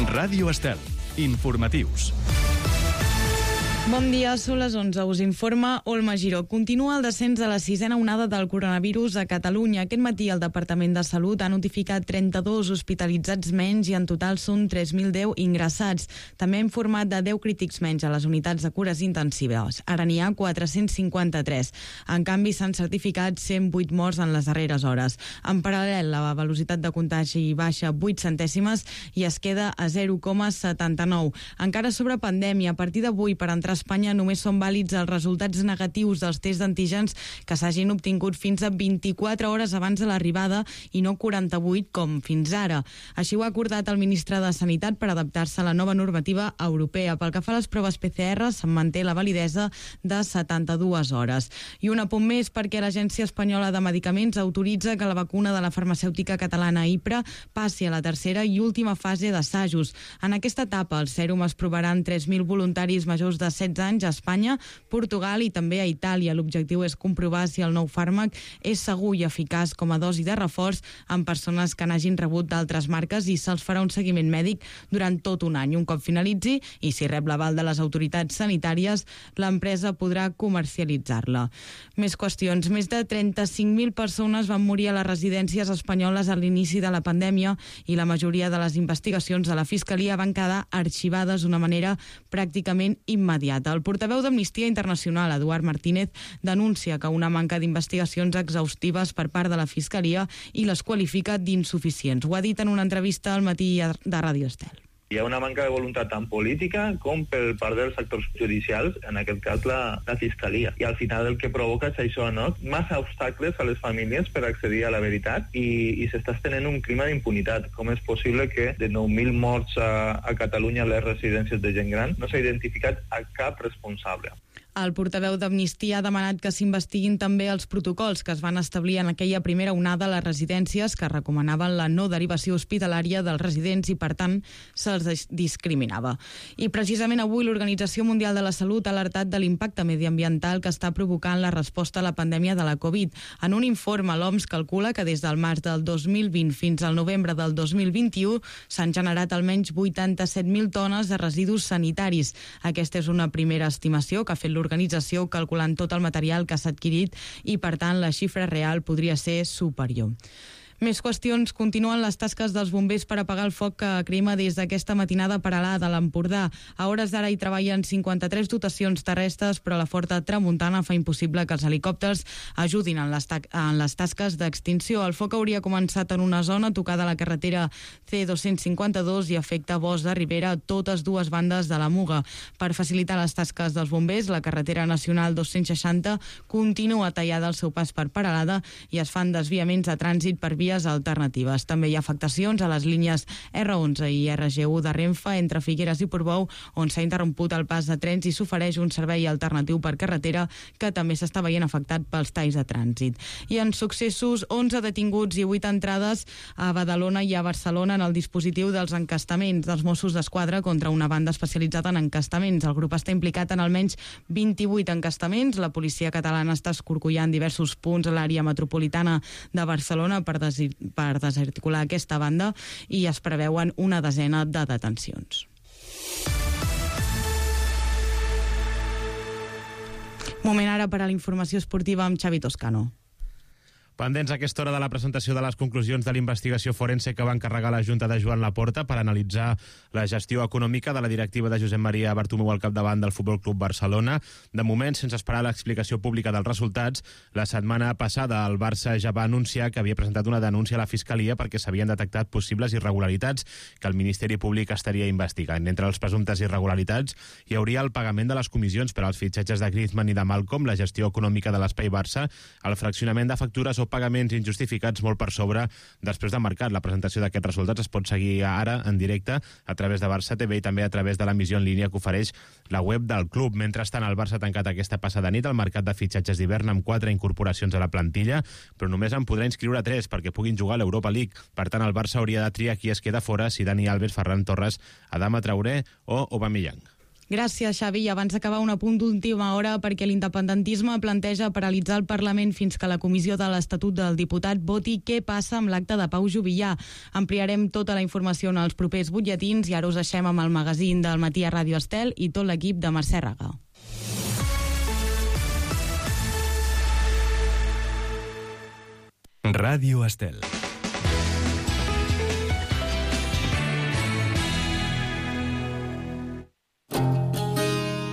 Ràdio Estel. Informatius. Bon dia, són les 11. Us informa Olma Giró. Continua el descens de la sisena onada del coronavirus a Catalunya. Aquest matí el Departament de Salut ha notificat 32 hospitalitzats menys i en total són 3.010 ingressats. També ha informat de 10 crítics menys a les unitats de cures intensives. Ara n'hi ha 453. En canvi, s'han certificat 108 morts en les darreres hores. En paral·lel, la velocitat de contagi baixa 8 centèsimes i es queda a 0,79. Encara sobre pandèmia, a partir d'avui, per entrar a Espanya només són vàlids els resultats negatius dels tests d'antígens que s'hagin obtingut fins a 24 hores abans de l'arribada i no 48 com fins ara. Així ho ha acordat el ministre de Sanitat per adaptar-se a la nova normativa europea. Pel que fa a les proves PCR, se'n manté la validesa de 72 hores. I un apunt més perquè l'Agència Espanyola de Medicaments autoritza que la vacuna de la farmacèutica catalana IPRA passi a la tercera i última fase d'assajos. En aquesta etapa, el sèrum es provarà en 3.000 voluntaris majors de 16 anys a Espanya, Portugal i també a Itàlia. L'objectiu és comprovar si el nou fàrmac és segur i eficaç com a dosi de reforç en persones que n'hagin rebut d'altres marques i se'ls farà un seguiment mèdic durant tot un any. Un cop finalitzi i si rep l'aval de les autoritats sanitàries, l'empresa podrà comercialitzar-la. Més qüestions. Més de 35.000 persones van morir a les residències espanyoles a l'inici de la pandèmia i la majoria de les investigacions de la Fiscalia van quedar arxivades d'una manera pràcticament immediata. El portaveu d'Amnistia Internacional, Eduard Martínez, denuncia que una manca d'investigacions exhaustives per part de la Fiscalia i les qualifica d'insuficients. Ho ha dit en una entrevista al matí de Ràdio Estel. Hi ha una manca de voluntat tant política com per part dels actors judicials, en aquest cas la Fiscalia. I al final el que provoca és això, no? Massa obstacles a les famílies per accedir a la veritat i s'està estenent un clima d'impunitat. Com és possible que de 9.000 morts a Catalunya a les residències de gent gran no s'ha identificat a cap responsable? El portaveu d'Amnistia ha demanat que s'investiguin també els protocols que es van establir en aquella primera onada a les residències que recomanaven la no derivació hospitalària dels residents i, per tant, se'ls discriminava. I precisament avui l'Organització Mundial de la Salut ha alertat de l'impacte mediambiental que està provocant la resposta a la pandèmia de la Covid. En un informe, l'OMS calcula que des del març del 2020 fins al novembre del 2021 s'han generat almenys 87.000 tones de residus sanitaris. Aquesta és una primera estimació que ha fet l'organització calculant tot el material que s'ha adquirit i, per tant, la xifra real podria ser superior. Més qüestions. Continuen les tasques dels bombers per apagar el foc que crema des d'aquesta matinada paral·lada a l'Empordà. A hores d'ara hi treballen 53 dotacions terrestres, però la forta tramuntana fa impossible que els helicòpters ajudin en les tasques d'extinció. El foc hauria començat en una zona tocada a la carretera C252 i afecta bosc de ribera a totes dues bandes de la Muga. Per facilitar les tasques dels bombers, la carretera nacional 260 continua tallada al seu pas per paral·lada i es fan desviaments de trànsit per vies alternatives. També hi ha afectacions a les línies R11 i RG1 de Renfe entre Figueres i Portbou, on s'ha interromput el pas de trens i s'ofereix un servei alternatiu per carretera que també s'està veient afectat pels talls de trànsit. I en successos, 11 detinguts i 8 entrades a Badalona i a Barcelona en el dispositiu dels encastaments dels Mossos d'Esquadra contra una banda especialitzada en encastaments. El grup està implicat en almenys 28 encastaments. La policia catalana està escorcollant diversos punts a l'àrea metropolitana de Barcelona per desarticular aquesta banda i es preveuen una desena de detencions. Moment ara per a la informació esportiva amb Xavi Toscano. Pendents a aquesta hora de la presentació de les conclusions de l'investigació forense que va encarregar la Junta de Joan Laporta per analitzar la gestió econòmica de la directiva de Josep Maria Bartomeu al capdavant del Futbol Club Barcelona. De moment, sense esperar l'explicació pública dels resultats, la setmana passada el Barça ja va anunciar que havia presentat una denúncia a la Fiscalia perquè s'havien detectat possibles irregularitats que el Ministeri Públic estaria investigant. Entre les presumptes irregularitats hi hauria el pagament de les comissions per als fitxatges de Griezmann i de Malcom, la gestió econòmica de l'Espai Barça, el fraccionament de factures o pagaments injustificats molt per sobre després de mercat. La presentació d'aquests resultats es pot seguir ara en directe a través de Barça TV i també a través de l'emissió en línia que ofereix la web del club. Mentrestant, el Barça ha tancat aquesta passada nit el mercat de fitxatges d'hivern amb 4 incorporacions a la plantilla, però només en podrà inscriure 3 perquè puguin jugar a l'Europa League. Per tant, el Barça hauria de triar qui es queda fora, si Dani Alves, Ferran Torres, Adama Traoré o Aubameyang. Gràcies, Xavi. I abans d'acabar, un apunt d'última hora perquè l'independentisme planteja paralitzar el Parlament fins que la Comissió de l'Estatut del Diputat voti què passa amb l'acte de Pau Juvillà. Ampliarem tota la informació en els propers butlletins i ara us deixem amb el magazín del matí a Ràdio Estel i tot l'equip de Mercè Raga. Ràdio Estel.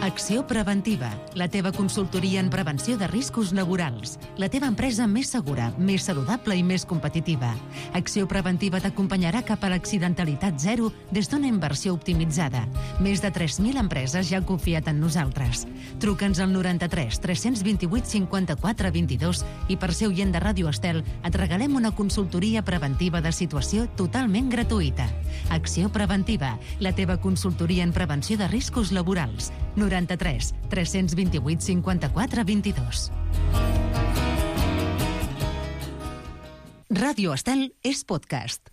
Acció Preventiva, la teva consultoria en prevenció de riscos laborals. La teva empresa més segura, més saludable i més competitiva. Acció Preventiva t'acompanyarà cap a l'accidentalitat zero des d'una inversió optimitzada. Més de 3.000 empreses ja han confiat en nosaltres. Truca'ns al 93 328 54 22 i per ser oient de Ràdio Estel et regalem una consultoria preventiva de situació totalment gratuïta. Acció Preventiva, la teva consultoria en prevenció de riscos laborals. 93 328 54 22. Ràdio Estel és podcast.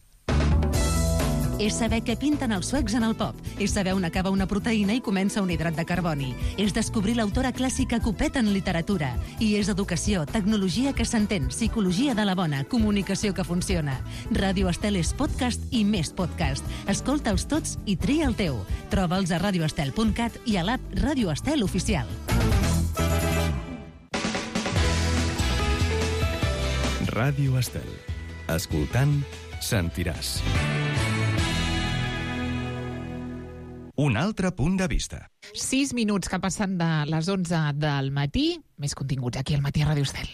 És saber què pinten els suecs en el pop. És saber on acaba una proteïna i comença un hidrat de carboni. És descobrir l'autora clàssica Copet en literatura. I és educació, tecnologia que s'entén, psicologia de la bona, comunicació que funciona. Ràdio Estel és podcast i més podcast. Escolta'ls tots i tria el teu. Troba'ls a radioestel.cat i a l'app Ràdio Estel Oficial. Ràdio Estel. Escoltant, sentiràs. Un altre punt de vista. 6 minuts que passen de les 11 del matí. Més continguts aquí al matí a Ràdio Estel.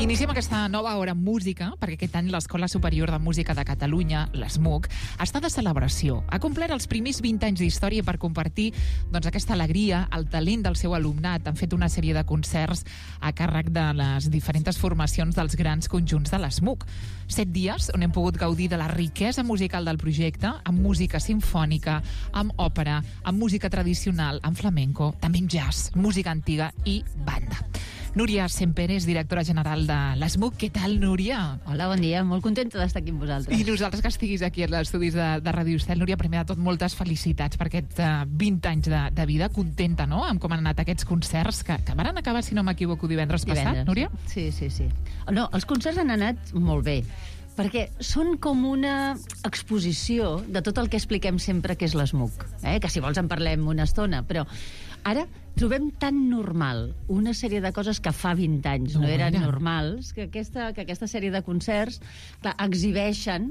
Iniciem aquesta nova hora amb música, perquè aquest any l'Escola Superior de Música de Catalunya, l'ESMUC, està de celebració. Ha complert els primers 20 anys d'història per compartir aquesta alegria, el talent del seu alumnat. Han fet una sèrie de concerts a càrrec de les diferents formacions dels grans conjunts de l'ESMUC. 7 dies on hem pogut gaudir de la riquesa musical del projecte, amb música simfònica, amb òpera, amb música tradicional, amb flamenco, també amb jazz, música antiga i banda. Núria Semperes, directora general de l'ESMUC. Què tal, Núria? Hola, bon dia. Molt contenta d'estar aquí amb vosaltres. I nosaltres que estiguis aquí als estudis de Ràdio Estel. Núria, primer de tot, moltes felicitats per aquests 20 anys de vida. Contenta, no?, amb com han anat aquests concerts que van acabar, si no m'equivoco, divendres passat, Núria? Sí. No, els concerts han anat molt bé, perquè són com una exposició de tot el que expliquem sempre que és l'ESMUC, que si vols en parlem una estona, però ara trobem tan normal una sèrie de coses que fa 20 anys no eren normals, que aquesta sèrie de concerts, clar, exhibeixen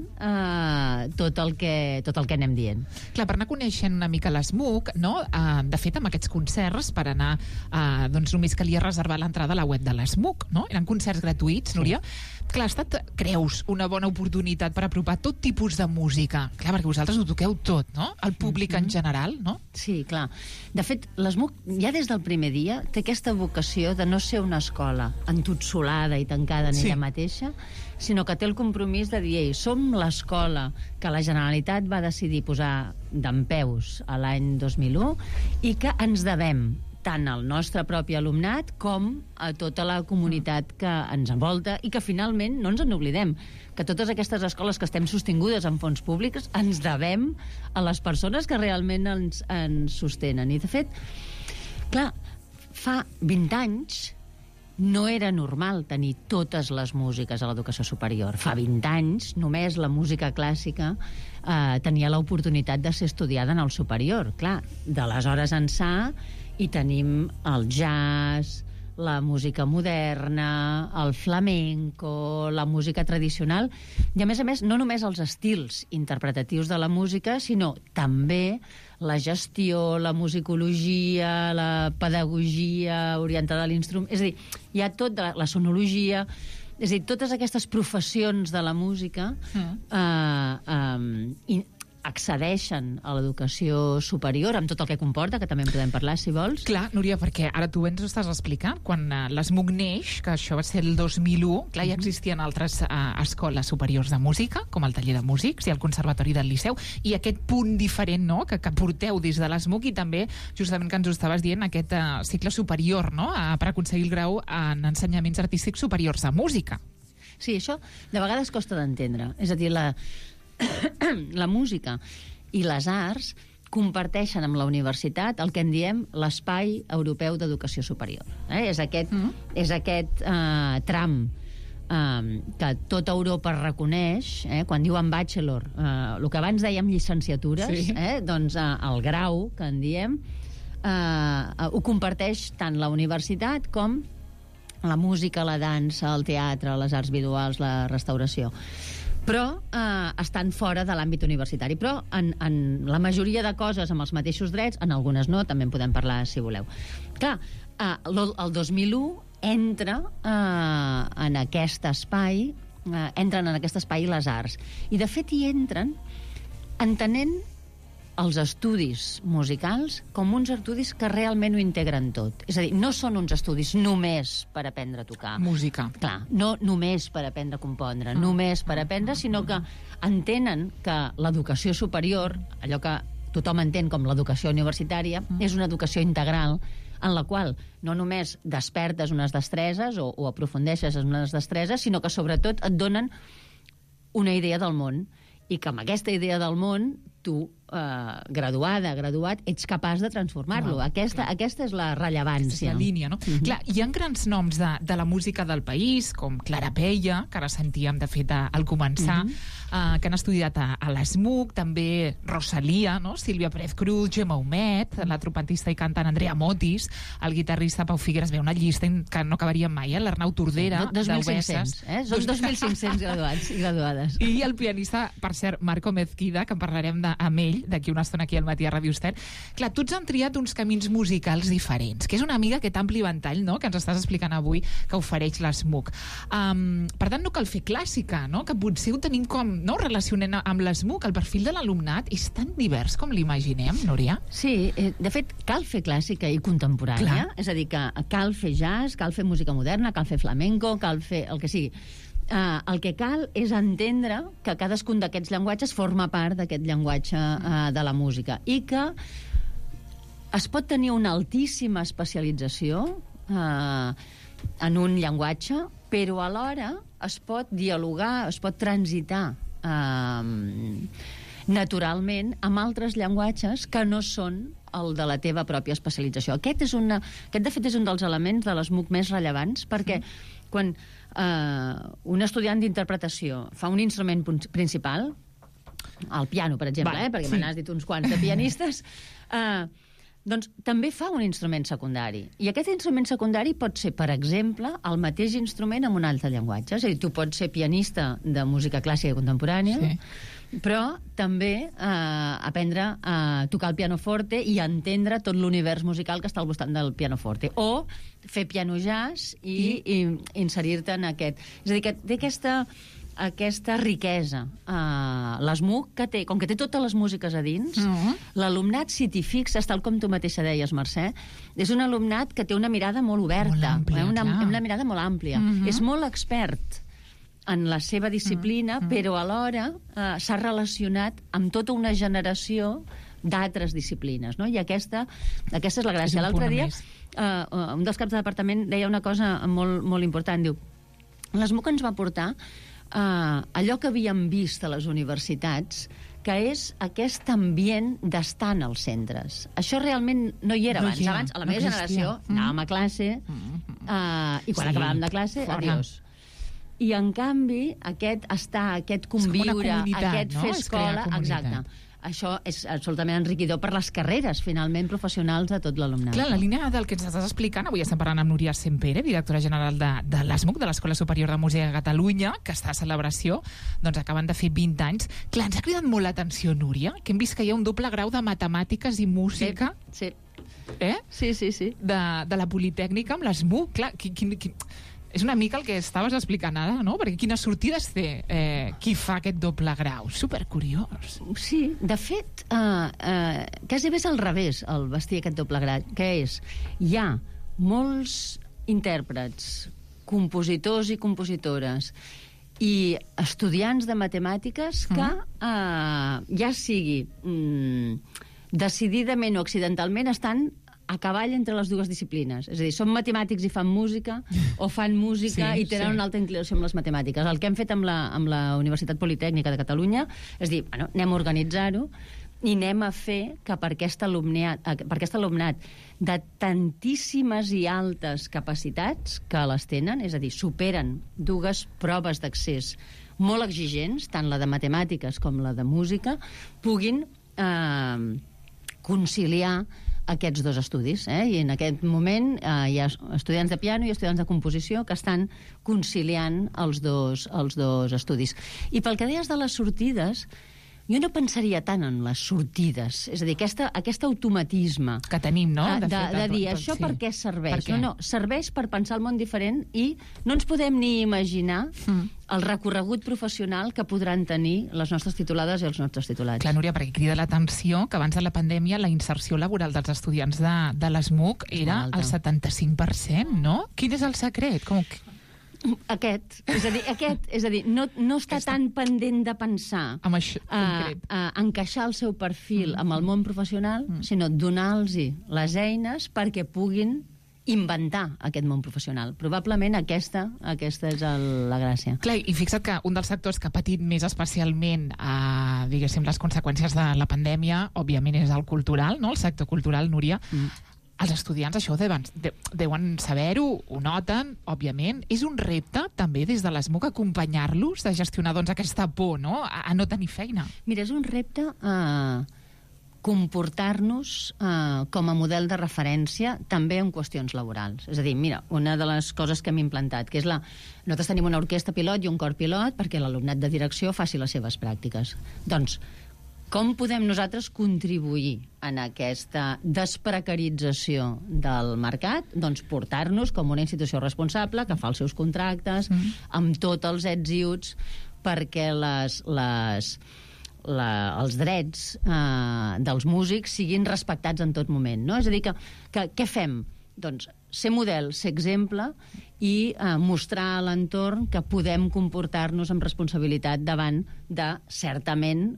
tot el que anem dient. Clar, per anar coneixent una mica l'ESMUC, no? De fet, amb aquests concerts, per anar, només calia reservar l'entrada a la web de l'ESMUC, no? Eren concerts gratuïts, Núria. Clar, ha estat, creus, una bona oportunitat per apropar tot tipus de música. Clar, perquè vosaltres ho toqueu tot, no? El públic en general, no? Sí, clar. De fet, l'ESMUC, ja des del primer dia, té aquesta vocació de no ser una escola entotsolada i tancada en ella mateixa, sinó que té el compromís de dir, ei, som l'escola que la Generalitat va decidir posar dempeus a l'any 2001 i que ens devem tant al nostre propi alumnat com a tota la comunitat que ens envolta i que finalment no ens en oblidem, que totes aquestes escoles que estem sostingudes amb fons públics ens devem a les persones que realment ens sostenen. I de fet, clar, fa 20 anys no era normal tenir totes les músiques a l'educació superior. Fa 20 anys només la música clàssica tenia l'oportunitat de ser estudiada en el superior. Clar, d'aleshores ençà i tenim el jazz, la música moderna, el flamenco, la música tradicional, i a més, no només els estils interpretatius de la música, sinó també la gestió, la musicologia, la pedagogia orientada a l'instrument. És a dir, hi ha tot, la sonologia, és a dir, totes aquestes professions de la música accedeixen a l'educació superior, amb tot el que comporta, que també en podem parlar, si vols. Clar, Núria, perquè ara tu ens ho estàs explicant. Quan l'ESMUC neix, que això va ser el 2001, clar, ja existien altres escoles superiors de música, com el Taller de Músics i el Conservatori del Liceu, i aquest punt diferent, no?, que porteu des de l'ESMUC, i també, justament que ens ho estaves dient, aquest cicle superior, no?, per aconseguir el grau en ensenyaments artístics superiors de música. Sí, això de vegades costa d'entendre. És a dir, la música i les arts comparteixen amb la universitat el que en diem l'Espai Europeu d'Educació Superior. És aquest tram que tota Europa reconeix, quan diuen bachelor, el que abans dèiem llicenciatures, sí. Doncs el grau, que en diem, ho comparteix tant la universitat com la música, la dansa, el teatre, les arts visuals, la restauració. Però estan fora de l'àmbit universitari. Però en la majoria de coses amb els mateixos drets, en algunes no, també en podem parlar si voleu. Clar, el 2001 entren en aquest espai les arts. I de fet hi entren entenent els estudis musicals com uns estudis que realment ho integren tot. És a dir, no són uns estudis només per aprendre a tocar música. Clar, no només per aprendre a compondre, només per aprendre, sinó que entenen que l'educació superior, allò que tothom entén com l'educació universitària, és una educació integral en la qual no només despertes unes destreses o aprofundeixes en unes destreses, sinó que sobretot et donen una idea del món, i que amb aquesta idea del món tu, graduat, ets capaç de transformar-lo. Aquesta és la rellevància. Aquesta és la línia, no? Clar, hi ha grans noms de la música del país, com Clara Peia, que ara sentíem, de fet, al començar, que han estudiat a l'ESMUC, també Rosalia, no? Sílvia Pérez Cruz, Gemma Humet, la trompetista i cantant Andrea Motis, el guitarrista Pau Figueres, una llista que no acabaríem mai, l'Arnau Tordera, 2.500, Són 2.500 graduats i graduades. I el pianista, per cert, Marco Mezquida, que en parlarem amb ell d'aquí una estona aquí al matí a Ràdio Estel. Clar, tots han triat uns camins musicals diferents, que és una mica aquest ampli ventall, no?, que ens estàs explicant avui que ofereix l'ESMUC. Per tant, no cal fer clàssica, no?, que potser ho tenim com, no?, relacionant amb l'ESMUC. El perfil de l'alumnat és tan divers com l'imaginem, Núria? Sí, de fet, cal fer clàssica i contemporània. Clar. És a dir, que cal fer jazz, cal fer música moderna, cal fer flamenco, cal fer el que sigui. El que cal és entendre que cadascun d'aquests llenguatges forma part d'aquest llenguatge de la música i que es pot tenir una altíssima especialització en un llenguatge, però alhora es pot dialogar, es pot transitar naturalment amb altres llenguatges que no són el de la teva pròpia especialització. Aquest, de fet, és un dels elements de l'ESMUC més rellevants, perquè quan un estudiant d'interpretació fa un instrument principal, el piano, per exemple, perquè me n'has dit uns quants de pianistes, doncs també fa un instrument secundari. I aquest instrument secundari pot ser, per exemple, el mateix instrument amb un altre llenguatge. És a dir, tu pots ser pianista de música clàssica i contemporània, però també aprendre a tocar el pianoforte i entendre tot l'univers musical que està al voltant del pianoforte. O fer piano jazz i inserir-te en aquest... És a dir, que té aquesta riquesa. L'ESMUC, que té, com que té totes les músiques a dins, l'alumnat, si t'hi fixes, tal com tu mateixa deies, Mercè, és un alumnat que té una mirada molt oberta, una mirada molt àmplia. És molt expert en la seva disciplina, però alhora s'ha relacionat amb tota una generació d'altres disciplines, no? I aquesta és la gràcia. L'altre dia, un dels caps de departament deia una cosa molt, molt important, diu, l'ESMUC ens va portar allò que havíem vist a les universitats, que és aquest ambient d'estar en els centres. Això realment no hi era abans. Abans, a la meva generació, anàvem a classe i quan acabàvem de classe, adiós. I, en canvi, aquest estar, aquest conviure, aquest fer escola... Exacte. Això és absolutament enriquidor per les carreres, finalment, professionals de tot l'alumnat. Clar, la línia del que ens estàs explicant, avui estem parlant amb Núria Sempere, directora general de l'ESMUC, de l'Escola Superior de Música de Catalunya, que està a celebració, doncs acaben de fer 20 anys. Clar, ens ha cridat molt l'atenció, Núria, que hem vist que hi ha un doble grau de matemàtiques i música. Sí. Sí. De la Politècnica amb l'ESMUC. Clar, És una mica el que estaves explicant ara, no? Perquè quines sortides té qui fa aquest doble grau. Supercuriós. Sí, de fet, quasi bé és al revés, el vestir aquest doble grau, que és, hi ha molts intèrprets, compositors i compositores i estudiants de matemàtiques que ja sigui decididament o accidentalment estan a cavall entre les dues disciplines. És a dir, són matemàtics i fan música, o fan música i tenen una alta inclinació amb les matemàtiques. El que hem fet amb la Universitat Politècnica de Catalunya és dir, bueno, anem a organitzar-ho i anem a fer que per aquest alumnat de tantíssimes i altes capacitats que les tenen, és a dir, superen dues proves d'accés molt exigents, tant la de matemàtiques com la de música, puguin conciliar aquests dos estudis, i en aquest moment hi ha estudiants de piano i estudiants de composició que estan conciliant els dos estudis. I pel que deies de les sortides, jo no pensaria tant en les sortides, és a dir, aquest automatisme que tenim, no? De dir, això per què serveix? No, serveix per pensar el món diferent i no ens podem ni imaginar el recorregut professional que podran tenir les nostres titulades i els nostres titulats. Clar, Núria, perquè crida l'atenció que abans de la pandèmia la inserció laboral dels estudiants de l'ESMUC era el 75%, no? Quin és el secret? Aquest. És a dir, no està tan pendent de pensar encaixar el seu perfil amb el món professional, sinó donar-los les eines perquè puguin inventar aquest món professional. Probablement aquesta és la gràcia. Clar, i fixa't que un dels sectors que ha patit més especialment diguéssim, les conseqüències de la pandèmia, òbviament és el cultural, no? El sector cultural, Núria. Els estudiants això deuen saber-ho, ho noten, òbviament. És un repte, també, des de l'ESMUC, acompanyar-los de gestionar aquesta por, no?, a no tenir feina. Mira, és un repte comportar-nos com a model de referència també en qüestions laborals. És a dir, mira, una de les coses que hem implantat, que és nosaltres tenim una orquestra pilot i un cor pilot perquè l'alumnat de direcció faci les seves pràctiques. Doncs, com podem nosaltres contribuir en aquesta desprecarització del mercat? Doncs portar-nos com una institució responsable que fa els seus contractes amb tots els ets i uts perquè els drets dels músics siguin respectats en tot moment, no? És a dir, que què fem? Doncs ser model, ser exemple i mostrar a l'entorn que podem comportar-nos amb responsabilitat davant de, certament,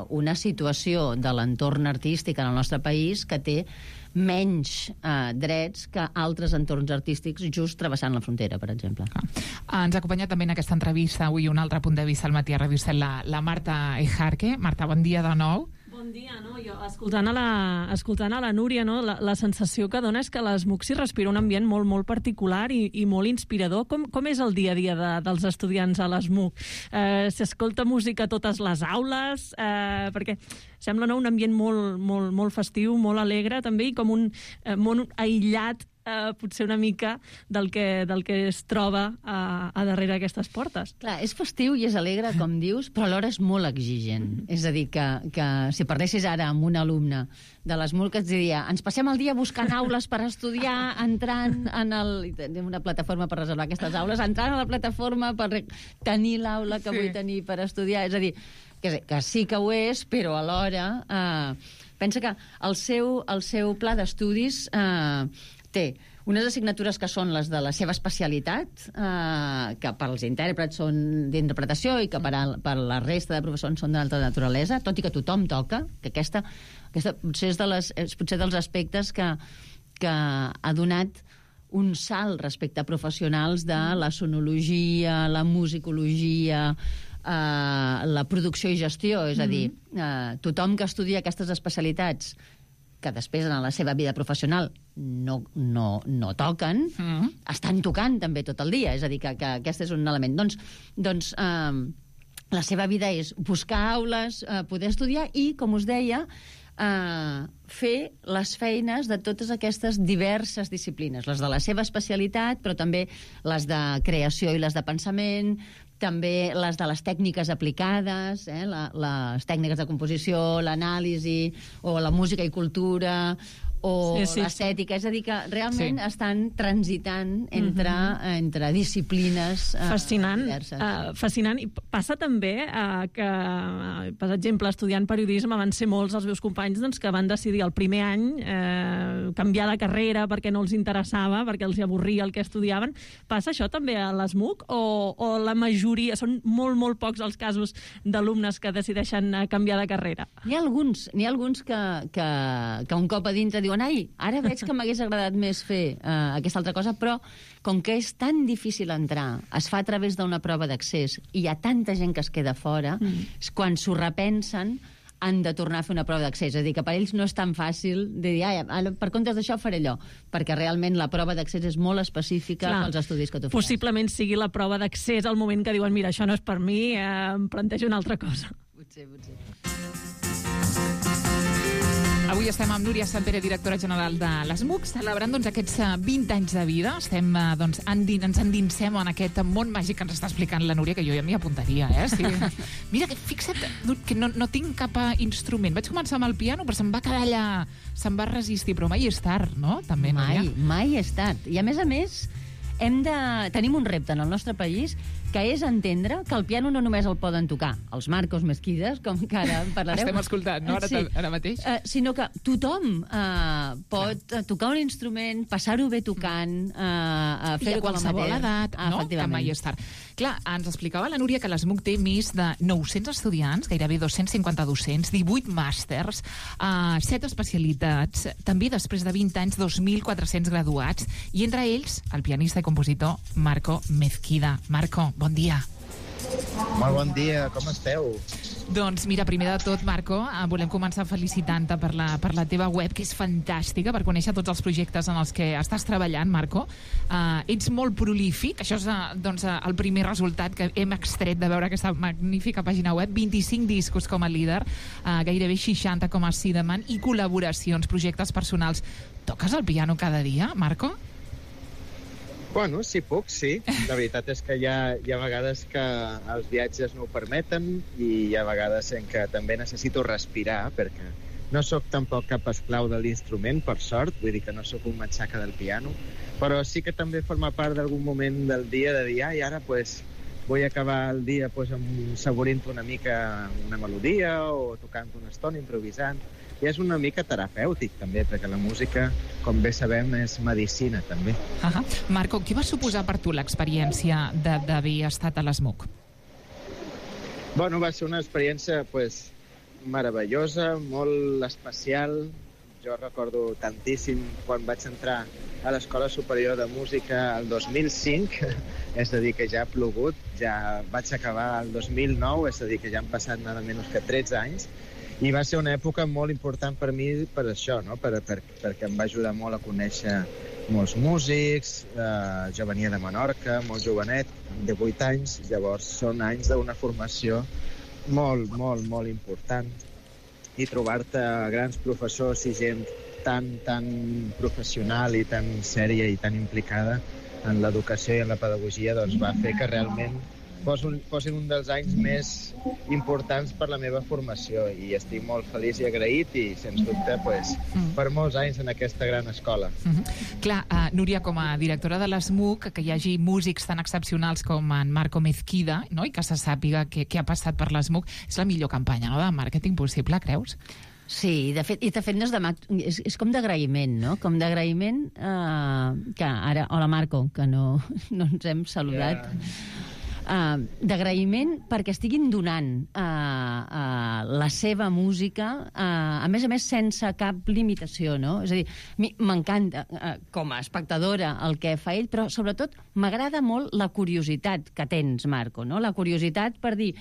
una situació de l'entorn artístic en el nostre país que té menys drets que altres entorns artístics just travessant la frontera, per exemple. Ens acompanya també en aquesta entrevista avui un altre punt de vista al matí a Ràdio Estel, la Marta Ejarque. Marta, bon dia de nou. Bon dia, no? Jo, escoltant a la Núria, no? La sensació que dona és que a l'ESMUC s'hi respira un ambient molt, molt particular i molt inspirador. Com és el dia a dia dels estudiants a l'ESMUC? S'escolta música a totes les aules? Perquè sembla un ambient molt, molt, molt festiu, molt alegre, també, i com un món aïllat potser una mica del que es troba a darrere d'aquestes portes. Clar, és festiu i és alegre, com dius, però alhora és molt exigent. És a dir, que si parlessis ara amb un alumne de l'ESMUC et diria, ens passem el dia buscant aules per estudiar, entrant tenim una plataforma per reservar aquestes aules, entrant a la plataforma per tenir l'aula que vull tenir per estudiar. És a dir, que sí que ho és, però alhora pensa que el seu pla d'estudis té unes assignatures que són les de la seva especialitat, que per als intèrprets són d'interpretació i que per la resta de professors són d'altra naturalesa, tot i que tothom toca, que aquesta potser és dels aspectes que ha donat un salt respecte a professionals de la sonologia, la musicologia, la producció i gestió. És a dir, tothom que estudia aquestes especialitats que després en la seva vida professional no toquen, estan tocant també tot el dia. És a dir, que aquest és un element. Doncs la seva vida és buscar aules, poder estudiar i, com us deia, fer les feines de totes aquestes diverses disciplines, les de la seva especialitat, però també les de creació i les de pensament, també les de les tècniques aplicades, les tècniques de composició, l'anàlisi, o la música i cultura, o l'estètica, és a dir, que realment estan transitant entre disciplines diverses. Fascinant. I passa també que, per exemple, estudiant periodisme van ser molts els meus companys que van decidir el primer any canviar de carrera perquè no els interessava, perquè els avorria el que estudiaven. Passa això també a l'ESMUC o la majoria, són molt, molt pocs els casos d'alumnes que decideixen canviar de carrera? N'hi ha alguns que un cop a dintre diuen ai, ara veig que m'hagués agradat més fer aquesta altra cosa, però com que és tan difícil entrar, es fa a través d'una prova d'accés i hi ha tanta gent que es queda fora, quan s'ho repensen han de tornar a fer una prova d'accés. És a dir, que per ells no és tan fàcil de dir, per comptes d'això faré allò, perquè realment la prova d'accés és molt específica pels estudis que tu fas. Possiblement sigui la prova d'accés al moment que diuen, mira, això no és per mi, em plantejo una altra cosa. Potser. Avui estem amb Núria Santpere, directora general de l'ESMUC, celebrant aquests 20 anys de vida. Ens endinsem en aquest món màgic que ens està explicant la Núria, que jo ja m'hi apuntaria, Sí. Mira, fixa't que no tinc cap instrument. Vaig començar amb el piano, però se'm va quedar allà, se'm va resistir, però mai és tard, no? També, mai és tard. I a més, tenim un repte en el nostre país que és entendre que el piano no només el poden tocar els Marcos Mezquidas, com que ara en parlarem. Estem escoltant, no? Ara mateix. Sinó que tothom pot tocar un instrument, passar-ho bé tocant, fer-ho a qualsevol edat, que mai és tard. Clar, ens explicava la Núria que l'ESMUC té més de 900 estudiants, gairebé 250 docents, 18 màsters, 7 especialitats, també després de 20 anys 2.400 graduats, i entre ells el pianista i compositor Marco Mezquida. Marco, bon dia. Molt bon dia, com esteu? Doncs mira, primer de tot, Marco, volem començar felicitant-te per la teva web, que és fantàstica, per conèixer tots els projectes en els que estàs treballant, Marco. Ets molt prolífic, això és el primer resultat que hem extret de veure aquesta magnífica pàgina web. 25 discos com a líder, gairebé 60 com a Sideman, i col·laboracions, projectes personals. Toques el piano cada dia, Marco? Bueno, si puc, sí. La veritat és que hi ha vegades que els viatges no ho permeten i hi ha vegades en què també necessito respirar, perquè no sóc tampoc cap esclau de l'instrument, per sort, vull dir que no sóc un matxaca del piano, però sí que també forma part d'algun moment del dia de dir, i ara vull acabar el dia saborint una mica una melodia o tocant una estona, improvisant. I és una mica terapèutic, també, perquè la música, com bé sabem, és medicina, també. Marco, què va suposar per tu l'experiència d'haver estat a l'ESMUC? Bueno, va ser una experiència, meravellosa, molt especial. Jo recordo tantíssim quan vaig entrar a l'Escola Superior de Música el 2005, és a dir, que ja ha plogut, ja vaig acabar el 2009, és a dir, que ja han passat nada menys que 13 anys, i va ser una època molt important per mi per això, no? Perquè em va ajudar molt a conèixer molts músics. Jo venia de Menorca, molt jovenet, de 8 anys, llavors són anys d'una formació molt, molt, molt important, i trobar-te grans professors i gent tan professional i tan sèria i tan implicada en l'educació i en la pedagogia, doncs va fer que realment fossin un dels anys més importants per la meva formació, i estic molt feliç i agraït, i sens dubte per molts anys en aquesta gran escola. Clar, Núria, com a directora de l'ESMUC, que hi hagi músics tan excepcionals com en Marco Mezquida, no? I que se sàpiga què ha passat per l'ESMUC, és la millor campanya, no?, de màrqueting possible, creus? Sí, de fet no és com d'agraïment, no? Com d'agraïment que ara... Hola, Marco, que no ens hem saludat. D'agraïment perquè estiguin donant la seva música, a més sense cap limitació, no? És a dir, m'encanta com a espectadora el que fa ell, però sobretot m'agrada molt la curiositat que tens, Marco, no? La curiositat per dir,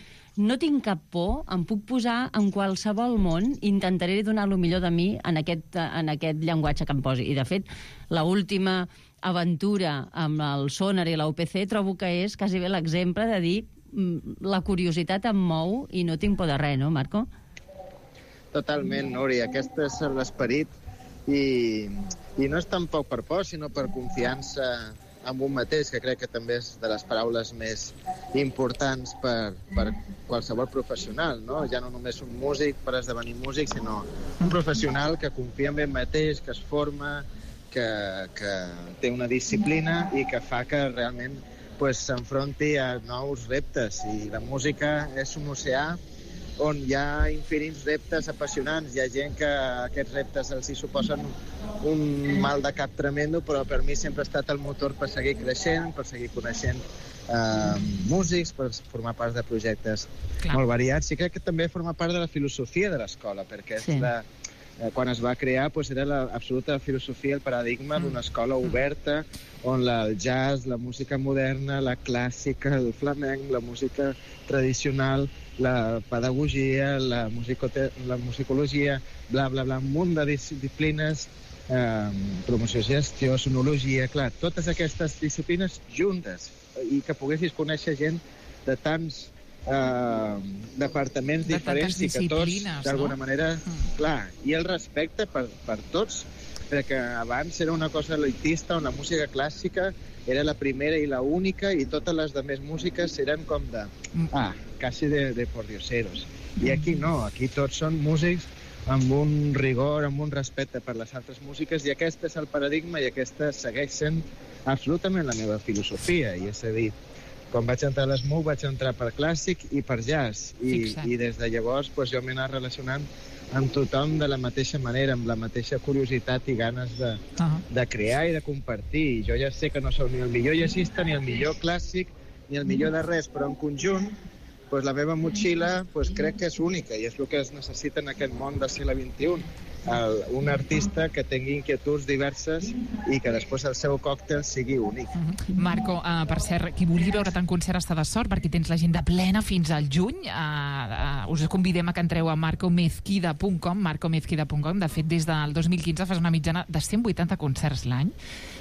no tinc cap por, em puc posar en qualsevol món, intentaré donar el millor de mi en aquest llenguatge que em posi. I de fet, l'última aventura amb el Sonar i la UPC trobo que és quasi bé l'exemple de dir la curiositat em mou i no tinc por de res, no, Marco? Totalment, Núria, aquest és l'esperit, i no és tampoc per por, sinó per confiança amb un mateix, que crec que també és de les paraules més importants per qualsevol professional, no? Ja no només un músic per esdevenir músic, sinó un professional que confia en ell mateix, que es forma, que té una disciplina i que fa que realment s'enfronti a nous reptes. I la música és un oceà on hi ha infinits reptes apassionants. Hi ha gent que aquests reptes els hi suposen un mal de cap tremendo, però per mi sempre ha estat el motor per seguir creixent, per seguir coneixent músics, per formar part de projectes molt variats. I crec que també forma part de la filosofia de l'escola, perquè quan es va crear era l'absoluta filosofia, el paradigma d'una escola oberta, on el jazz, la música moderna, la clàssica, el flamenc, la música tradicional, la pedagogia, la musicologia, bla, bla, bla, un munt de disciplines, promoció, gestió, sonologia, clar, totes aquestes disciplines juntes, i que poguessis conèixer gent de tants departaments diferents i que tots, d'alguna manera, clar, i el respecte per tots, perquè abans era una cosa elitista on la música clàssica era la primera i la única i totes les demés músiques eren com de quasi de pordioseros. I aquí no, aquí tots són músics amb un rigor, amb un respecte per les altres músiques, i aquest és el paradigma i aquesta segueix sent absolutament la meva filosofia. I és a dir, quan vaig entrar a l'SMUC vaig entrar per clàssic i per jazz, i des de llavors jo m'he anat relacionant amb tothom de la mateixa manera, amb la mateixa curiositat i ganes de crear i de compartir. Jo ja sé que no sóc ni el millor jazzista, ni el millor clàssic, ni el millor de res, però en conjunt la meva motxilla crec que és única, i és el que es necessita en aquest món del segle XXI. Un artista que tingui inquietuds diverses i que després el seu còctel sigui únic. Marco, per cert, qui vulgui veure't en concert està de sort, perquè tens l'agenda plena fins al juny. Us convidem a que entreu a marcomezquida.com. De fet, des del 2015 fas una mitjana de 180 concerts l'any,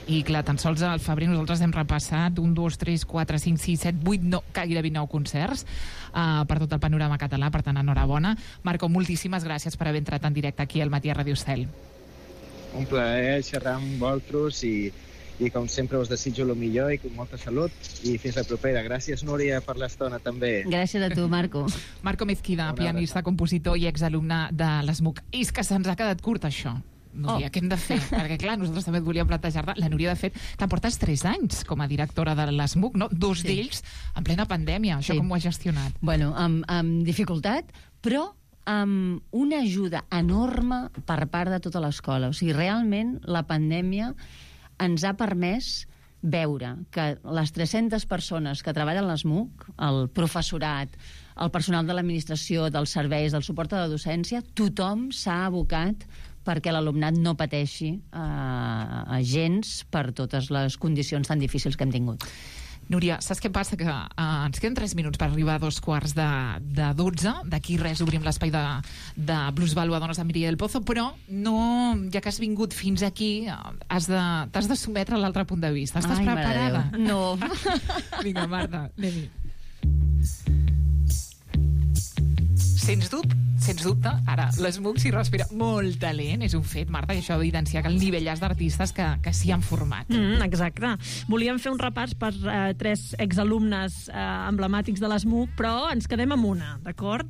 i clar, tan sols al febrer nosaltres hem repassat 1, 2, 3, 4, 5, 6, 7, 8, gairebé 9 concerts per tot el panorama català, per tant, enhorabona. Marco, moltíssimes gràcies per haver entrat en directe aquí al Matí a Ràdio Estel. Un plaer xerrar amb vosaltres i com sempre us desitjo el millor i molta salut, i fins la propera. Gràcies, Núria, per l'estona també. Gràcies a tu, Marco. Marco Mezquida, pianista, compositor i exalumne de l'SMUC. I és que se'ns ha quedat curt, això. Núria, què hem de fer? Perquè, clar, nosaltres també et volíem plantejar-te. La Núria, de fet, que portes 3 anys com a directora de l'SMUC, no? 2 d'ells en plena pandèmia. Això com ho has gestionat? Bueno, amb dificultat, però amb una ajuda enorme per part de tota l'escola. O sigui, realment, la pandèmia ens ha permès veure que les 300 persones que treballen a l'SMUC, el professorat, el personal de l'administració, dels serveis, del suport a la docència, tothom s'ha abocat perquè l'alumnat no pateixi gens per totes les condicions tan difícils que hem tingut. Núria, saps què passa? Que ens queden 3 minuts per arribar a 2:45. D'aquí res obrim l'espai de Blues Valua, Dones de Mireia del Pozo, però no, ja que has vingut fins aquí, t'has de sometre a l'altre punt de vista. Estàs preparada? No. Vinga, Marta, anem-hi. Sens dubte, ara l'SMUC s'hi respira molt talent, és un fet, Marta, i això evidencia que el nivellàs d'artistes que s'hi han format. Exacte. Volíem fer un repàs per 3 exalumnes emblemàtics de l'SMUC, però ens quedem amb una, d'acord?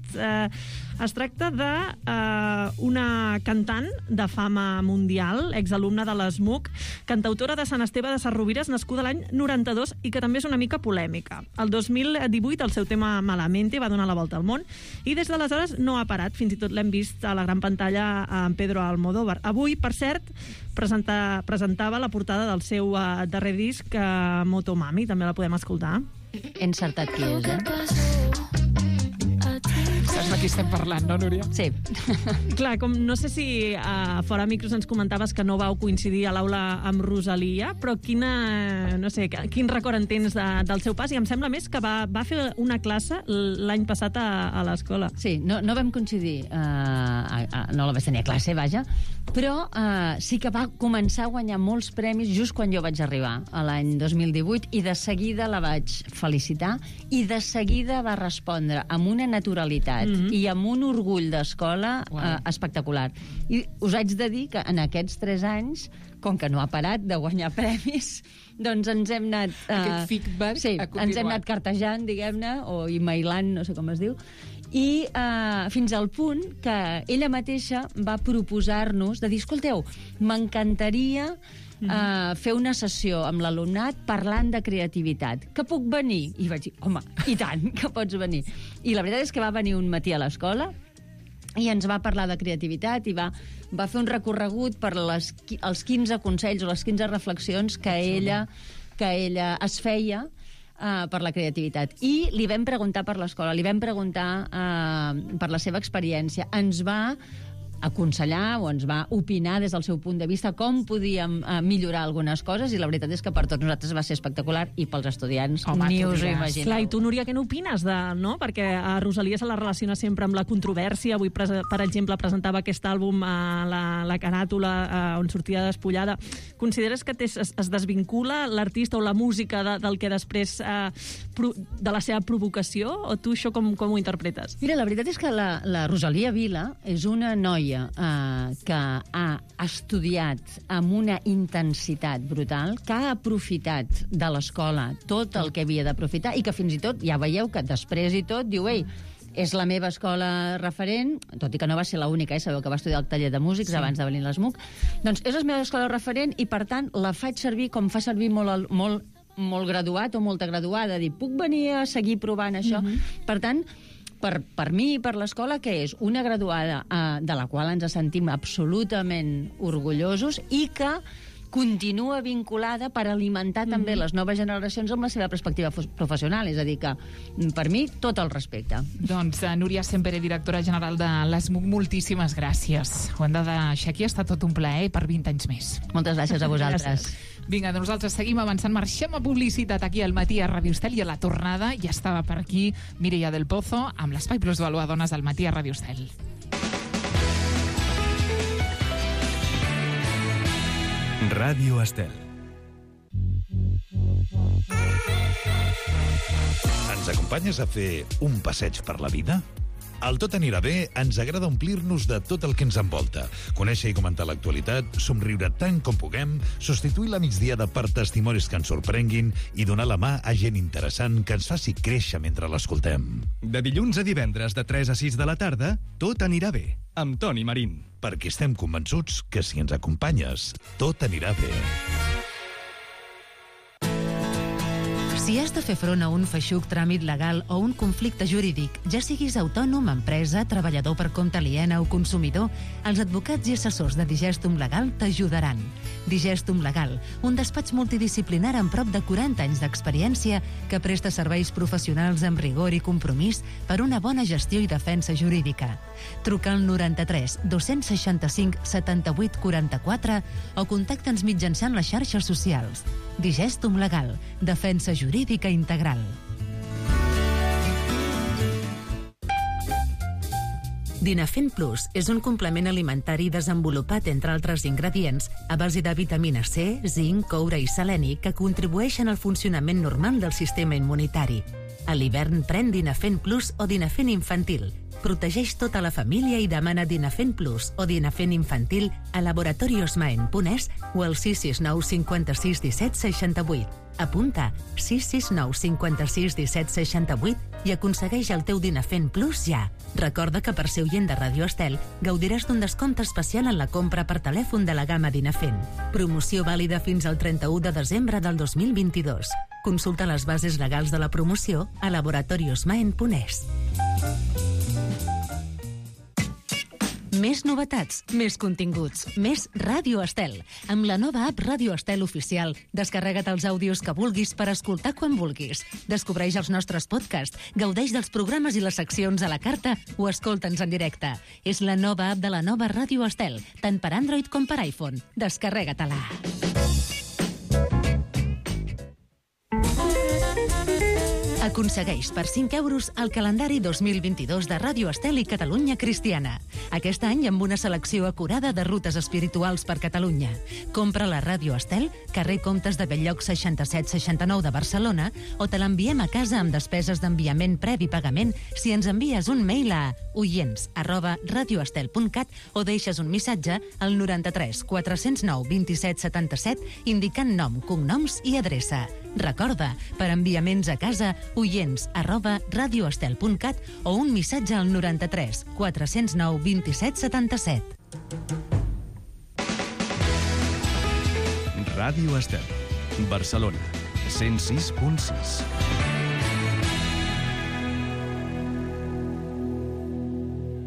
Es tracta d'una cantant de fama mundial, exalumna de l'SMUC, cantautora de Sant Esteve de Sesrovires, nascuda l'any 92 i que també és una mica polèmica. El 2018 el seu tema Malamente va donar la volta al món i des d'aleshores no ha parat, fins i tot l'hem vist a la gran pantalla amb Pedro Almodóvar. Avui, per cert, presentava la portada del seu darrer disc, Motomami, també la podem escoltar. He encertat qui és, Saps de qui estem parlant, no, Núria? Sí. Clar, com no sé si fora micros ens comentaves que no vau coincidir a l'aula amb Rosalia, però quin record en tens del seu pas? I em sembla més que va fer una classe l'any passat a l'escola. Sí, no vam coincidir, no la vaig tenir a classe, vaja, però sí que va començar a guanyar molts premis just quan jo vaig arribar, a l'any 2018, i de seguida la vaig felicitar, i de seguida va respondre amb una naturalitat i amb un orgull d'escola espectacular. I us haig de dir que en aquests 3 anys, com que no ha parat de guanyar premis, doncs ens hem anat... Aquest feedback ha continuat. Ens hem anat cartejant, diguem-ne, o emailant, no sé com es diu, i fins al punt que ella mateixa va proposar-nos de dir, escolteu, m'encantaria fer una sessió amb l'alumnat parlant de creativitat. Que puc venir? I vaig dir, home, i tant, que pots venir. I la veritat és que va venir un matí a l'escola i ens va parlar de creativitat i va fer un recorregut per els 15 consells o les 15 reflexions que ella es feia per la creativitat. I li vam preguntar per l'escola, li vam preguntar per la seva experiència. Ens va aconsellar o ens va opinar des del seu punt de vista com podíem millorar algunes coses, i la veritat és que per tots nosaltres va ser espectacular, i pels estudiants ni us ho imagineu. Clar, i tu, Núria, què n'opines? No? Perquè a Rosalia se la relaciona sempre amb la controvèrsia. Avui, per exemple, presentava aquest àlbum a la caràtula on sortia despullada. Consideres que es desvincula l'artista o la música del que després de la seva provocació, o tu això com ho interpretes? Mira, la veritat és que la Rosalia Vila és una noia que ha estudiat amb una intensitat brutal, que ha aprofitat de l'escola tot el que havia d'aprofitar, i que fins i tot, ja veieu que després i tot, diu, ei, és la meva escola referent, tot i que no va ser l'única, sabeu que va estudiar al taller de músics abans de venir a l'ESMUC, doncs és la meva escola referent i, per tant, la faig servir com fa servir molt graduat o molta graduada, dir, puc venir a seguir provant això? Per tant, per mi i per l'escola, que és una graduada de la qual ens sentim absolutament orgullosos i que continua vinculada per alimentar també les noves generacions amb la seva perspectiva professional. És a dir, que per mi tot el respecte. Doncs Núria Sempere, directora general de l'ESMUC, moltíssimes gràcies. Ho hem de deixar aquí, ha estat tot un plaer per 20 anys més. Moltes gràcies a vosaltres. Vinga, nosaltres seguim avançant, marxem a publicitat aquí al matí a Ràdio Estel, i a la tornada ja estava per aquí Mireia del Pozo amb l'Espai Plus Valor a Dones al matí a Ràdio Estel. Ràdio Estel. Ens acompanyes a fer un passeig per la vida? Al Tot anirà bé ens agrada omplir-nos de tot el que ens envolta, conèixer i comentar l'actualitat, somriure tant com puguem, substituir la migdiada per testimonis que ens sorprenguin i donar la mà a gent interessant que ens faci créixer mentre l'escoltem. De dilluns a divendres de 3 a 6 de la tarda, Tot anirà bé, amb Toni Marín. Perquè estem convençuts que si ens acompanyes, tot anirà bé. Si has de fer front a un feixuc tràmit legal o un conflicte jurídic, ja siguis autònom, empresa, treballador per compte aliena o consumidor, els advocats i assessors de Digestum Legal t'ajudaran. Digestum Legal, un despatx multidisciplinar amb prop de 40 anys d'experiència que presta serveis professionals amb rigor i compromís per una bona gestió i defensa jurídica. Truca al 93 265 78 44 o contacta'ns mitjançant les xarxes socials. Digestum Legal, defensa jurídica integral. Dinafent Plus és un complement alimentari desenvolupat, entre altres ingredients, a base de vitamina C, zinc, coure i seleni que contribueixen al funcionament normal del sistema immunitari. A l'hivern pren Dinafent Plus o Dinafent Infantil. Protegeix tota la família i demana Dinafent Plus o Dinafent Infantil a laboratoriosmaen.es o al 669 56 17 68. Apunta 669 56 17 68 i aconsegueix el teu Dinafent Plus ja. Recorda que per ser oient de Ràdio Estel gaudiràs d'un descompte especial en la compra per telèfon de la gamma Dinafent. Promoció vàlida fins al 31 de desembre del 2022. Consulta les bases legals de la promoció a laboratoriosmaen.es. Més novetats, més continguts, més Ràdio Estel. Amb la nova app Ràdio Estel Oficial, descarrega't els àudios que vulguis per escoltar quan vulguis. Descobreix els nostres podcasts, gaudeix dels programes i les seccions a la carta o escolta'ns en directe. És la nova app de la nova Ràdio Estel, tant per Android com per iPhone. Descarrega-te-la. Aconsegueix per 5 euros el calendari 2022 de Ràdio Estel i Catalunya Cristiana. Aquest any amb una selecció acurada de rutes espirituals per Catalunya. Compra la Ràdio Estel, carrer Comtes de Belllloc 6769 de Barcelona, o te l'enviem a casa amb despeses d'enviament previ pagament si ens envies un mail a oients@radioestel.cat o deixes un missatge al 93 409 27 77 indicant nom, cognoms i adreça. Recorda, per enviaments a casa, oients@radioestel.cat o un missatge al 93 409 27 77. Ràdio Estel, Barcelona, 106.6.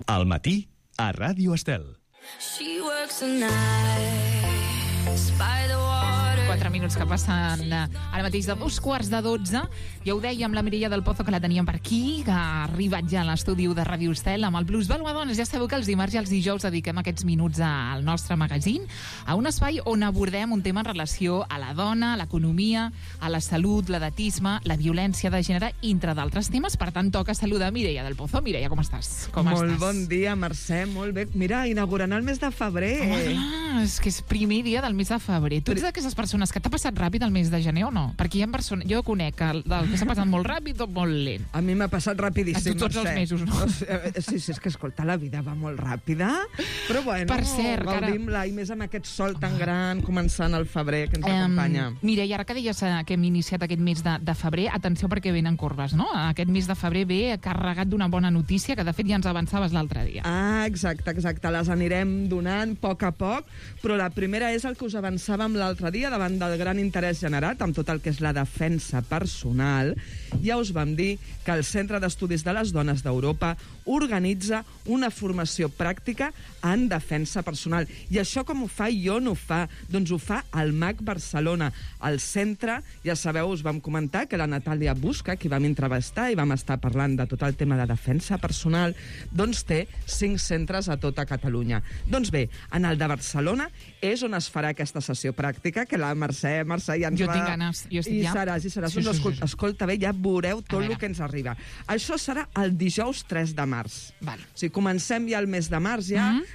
Al matí, a Ràdio Estel. She works the nights by the water. 4 minuts que passen ara mateix de 2:15. Ja ho dèiem, la Mireia del Pozo, que la teníem per aquí, que ha arribat ja a l'estudi de Ràdio Estel amb el Plusvàlua Dones. Ja sabeu que els dimarts i els dijous dediquem aquests minuts al nostre magazín, a un espai on abordem un tema en relació a la dona, a l'economia, a la salut, l'edatisme, la violència de gènere, entre d'altres temes. Per tant, toca saludar Mireia del Pozo. Mireia, com estàs? Molt bon dia, Mercè, molt bé. Mira, inaugurant el mes de febrer. Home, clar, és que és primer dia del mes de febrer. Tu ets d'aquestes persones que t'ha passat ràpid el mes de gener o no? Perquè hi ha persones... Jo conec el que s'ha passat molt ràpid o molt lent. A mi m'ha passat rapidíssim, a tots els mesos, no? Sí, és que, escolta, la vida va molt ràpida, però bueno, per cert, gaudim-la, i més amb aquest sol tan gran, començant el febrer, que ens acompanya. Mira, i ara que deies que hem iniciat aquest mes de febrer, atenció perquè venen corbes, no? Aquest mes de febrer ve carregat d'una bona notícia, que de fet ja ens avançaves l'altre dia. Ah, exacte, les anirem donant a poc, però la primera és el que us avançàvem l'altre dia, davant del gran interès generat amb tot el que és la defensa personal. Ja us vam dir que el Centre d'Estudis de les Dones d'Europa organitza una formació pràctica en defensa personal. I això com ho fa i on ho fa? Doncs ho fa al MAC Barcelona. Al centre, ja sabeu, us vam comentar que la Natàlia Busca, qui vam entrevistar i vam estar parlant de tot el tema de defensa personal, doncs té 5 centres a tota Catalunya. Doncs bé, en el de Barcelona és on es farà aquesta sessió pràctica, que la Mercè ja ens jo tinc ganes, jo estic ja. I seràs. Sí. Escolta bé, ja veureu tot el que ens arriba. Això serà el dijous 3 de març. Val. O sigui, comencem ja el mes de març,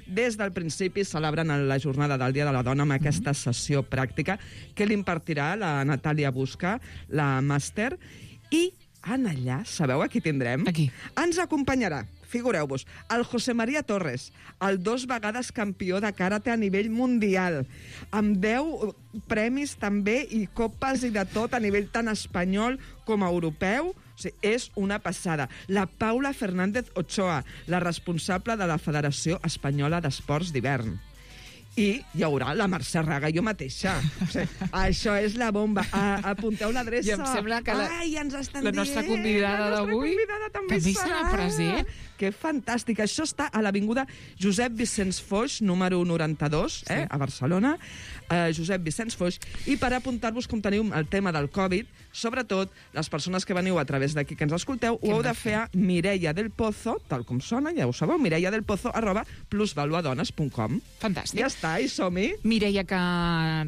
des del principi celebrant la jornada del Dia de la Dona amb aquesta sessió pràctica que l'impartirà la Natàlia Busca, la màster, i en allà, sabeu a qui tindrem? Aquí. Ens acompanyarà, figureu-vos, el José María Torres, el 2 vegades campió de karate a nivell mundial, amb 10 premis també i copes i de tot a nivell tant espanyol com europeu. O sigui, és una passada. La Paula Fernández Ochoa, la responsable de la Federació Espanyola d'Esports d'Hivern. I hi haurà la Mercè Raga, jo mateixa. O sigui, això és la bomba. Apunteu l'adreça. I em sembla que ja ens estan la nostra convidada d'avui també serà present. Que fantàstic. Això està a l'avinguda Josep Vicenç Foix, número 92, a Barcelona. Josep Vicenç Foix. I per apuntar-vos, com teniu el tema del Covid, sobretot les persones que veniu a través d'aquí que ens escolteu, ho heu de fer a Mireia del Pozo, tal com sona, ja ho sabeu, mireiadelpozo@plusvaluadones.com. Fantàstic. Ja està, i som-hi. Mireia, que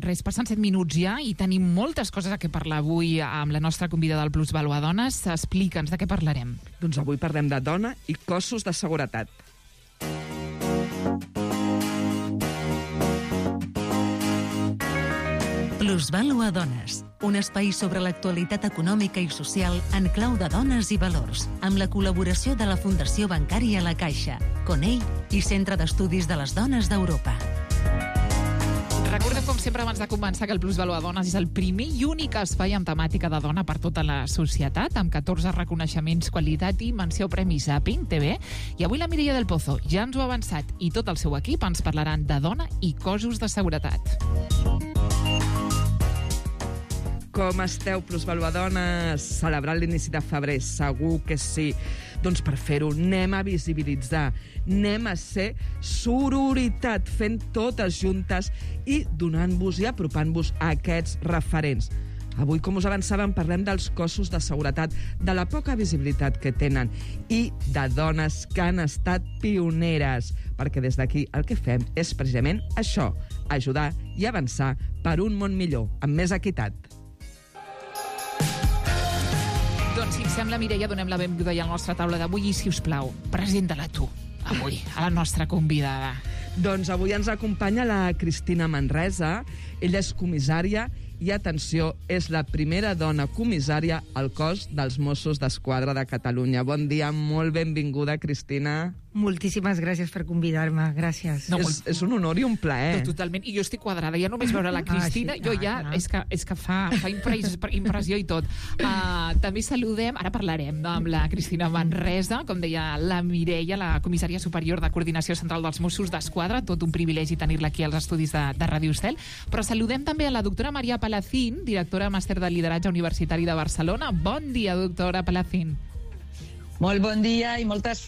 res, passen 7 minuts ja i tenim moltes coses a què parlar avui amb la nostra convidada del Plusvàlua Dones. Explica'ns de què parlarem. Doncs avui parlem de dona i cossos de seguretat. Plusvàlua Dones, un espai sobre l'actualitat econòmica i social en clau de dones i valors, amb la col·laboració de la Fundació Bancària La Caixa, Conell i Centre d'Estudis de les Dones d'Europa. Recordem, com sempre, abans de començar, que el Plusvàlua Dones és el primer i únic espai amb temàtica de dona per tota la societat, amb 14 reconeixements, qualitat i menció Premi Zapping TV. I avui la Mireia del Pozo ja ens ho ha avançat i tot el seu equip ens parlaran de dona i cossos de seguretat. Com esteu, Plusvàlua Dones? Celebrant l'inici de febrer, segur que sí. Doncs per fer-ho anem a visibilitzar, anem a ser sororitat, fent totes juntes i donant-vos i apropant-vos a aquests referents. Avui, com us avançàvem, parlem dels cossos de seguretat, de la poca visibilitat que tenen i de dones que han estat pioneres, perquè des d'aquí el que fem és precisament això, ajudar i avançar per un món millor, amb més equitat. Doncs Si et sembla, Mireia, donem la benvinguda ja a la nostra taula d'avui i, si us plau, presenta-la tu, avui, a la nostra convidada. Doncs avui ens acompanya la Cristina Manresa. Ella és comissària i, atenció, és la primera dona comissària al cos dels Mossos d'Esquadra de Catalunya. Bon dia, molt benvinguda, Cristina. Moltíssimes gràcies per convidar-me, gràcies. No, és un honor i un plaer. No, totalment, i jo estic quadrada, ja només veure la Cristina, jo ja, és que fa impressió i tot. També saludem, ara parlarem amb la Cristina Manresa, com deia la Mireia, la comissària superior de Coordinació Central dels Mossos d'Esquadra, tot un privilegi tenir-la aquí als estudis de Ràdio Estel, però saludem també a la doctora Maria Palacín, directora màster de lideratge universitari de Barcelona. Bon dia, doctora Palacín. Molt bon dia i moltes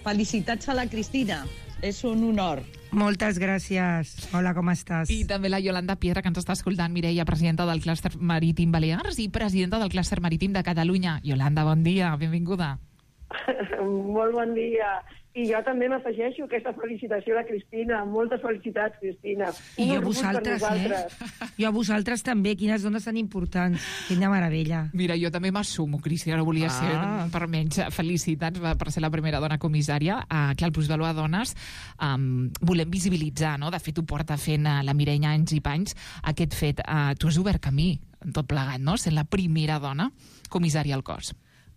felicitats a la Cristina. És un honor. Moltes gràcies. Hola, com estàs? I també la Yolanda Piedra, que ens està escoltant, Mireia, presidenta del Clúster Marítim Balears i presidenta del Clúster Marítim de Catalunya. Yolanda, bon dia, benvinguda. Molt bon dia. I jo també m'afegeixo aquesta felicitació a la Cristina. Moltes felicitats, Cristina. I jo a vosaltres, Jo a vosaltres també. Quines dones tan importants. Quina meravella. Mira, jo també m'assumo, Cristina, no volia ser per menys. Felicitats per ser la primera dona comissària. Clar, el Plusvalor a Dones volem visibilitzar, no? De fet, ho porta fent la Mireia anys i panys, aquest fet. Tu has obert camí en tot plegat, no? Sent la primera dona comissària al cos.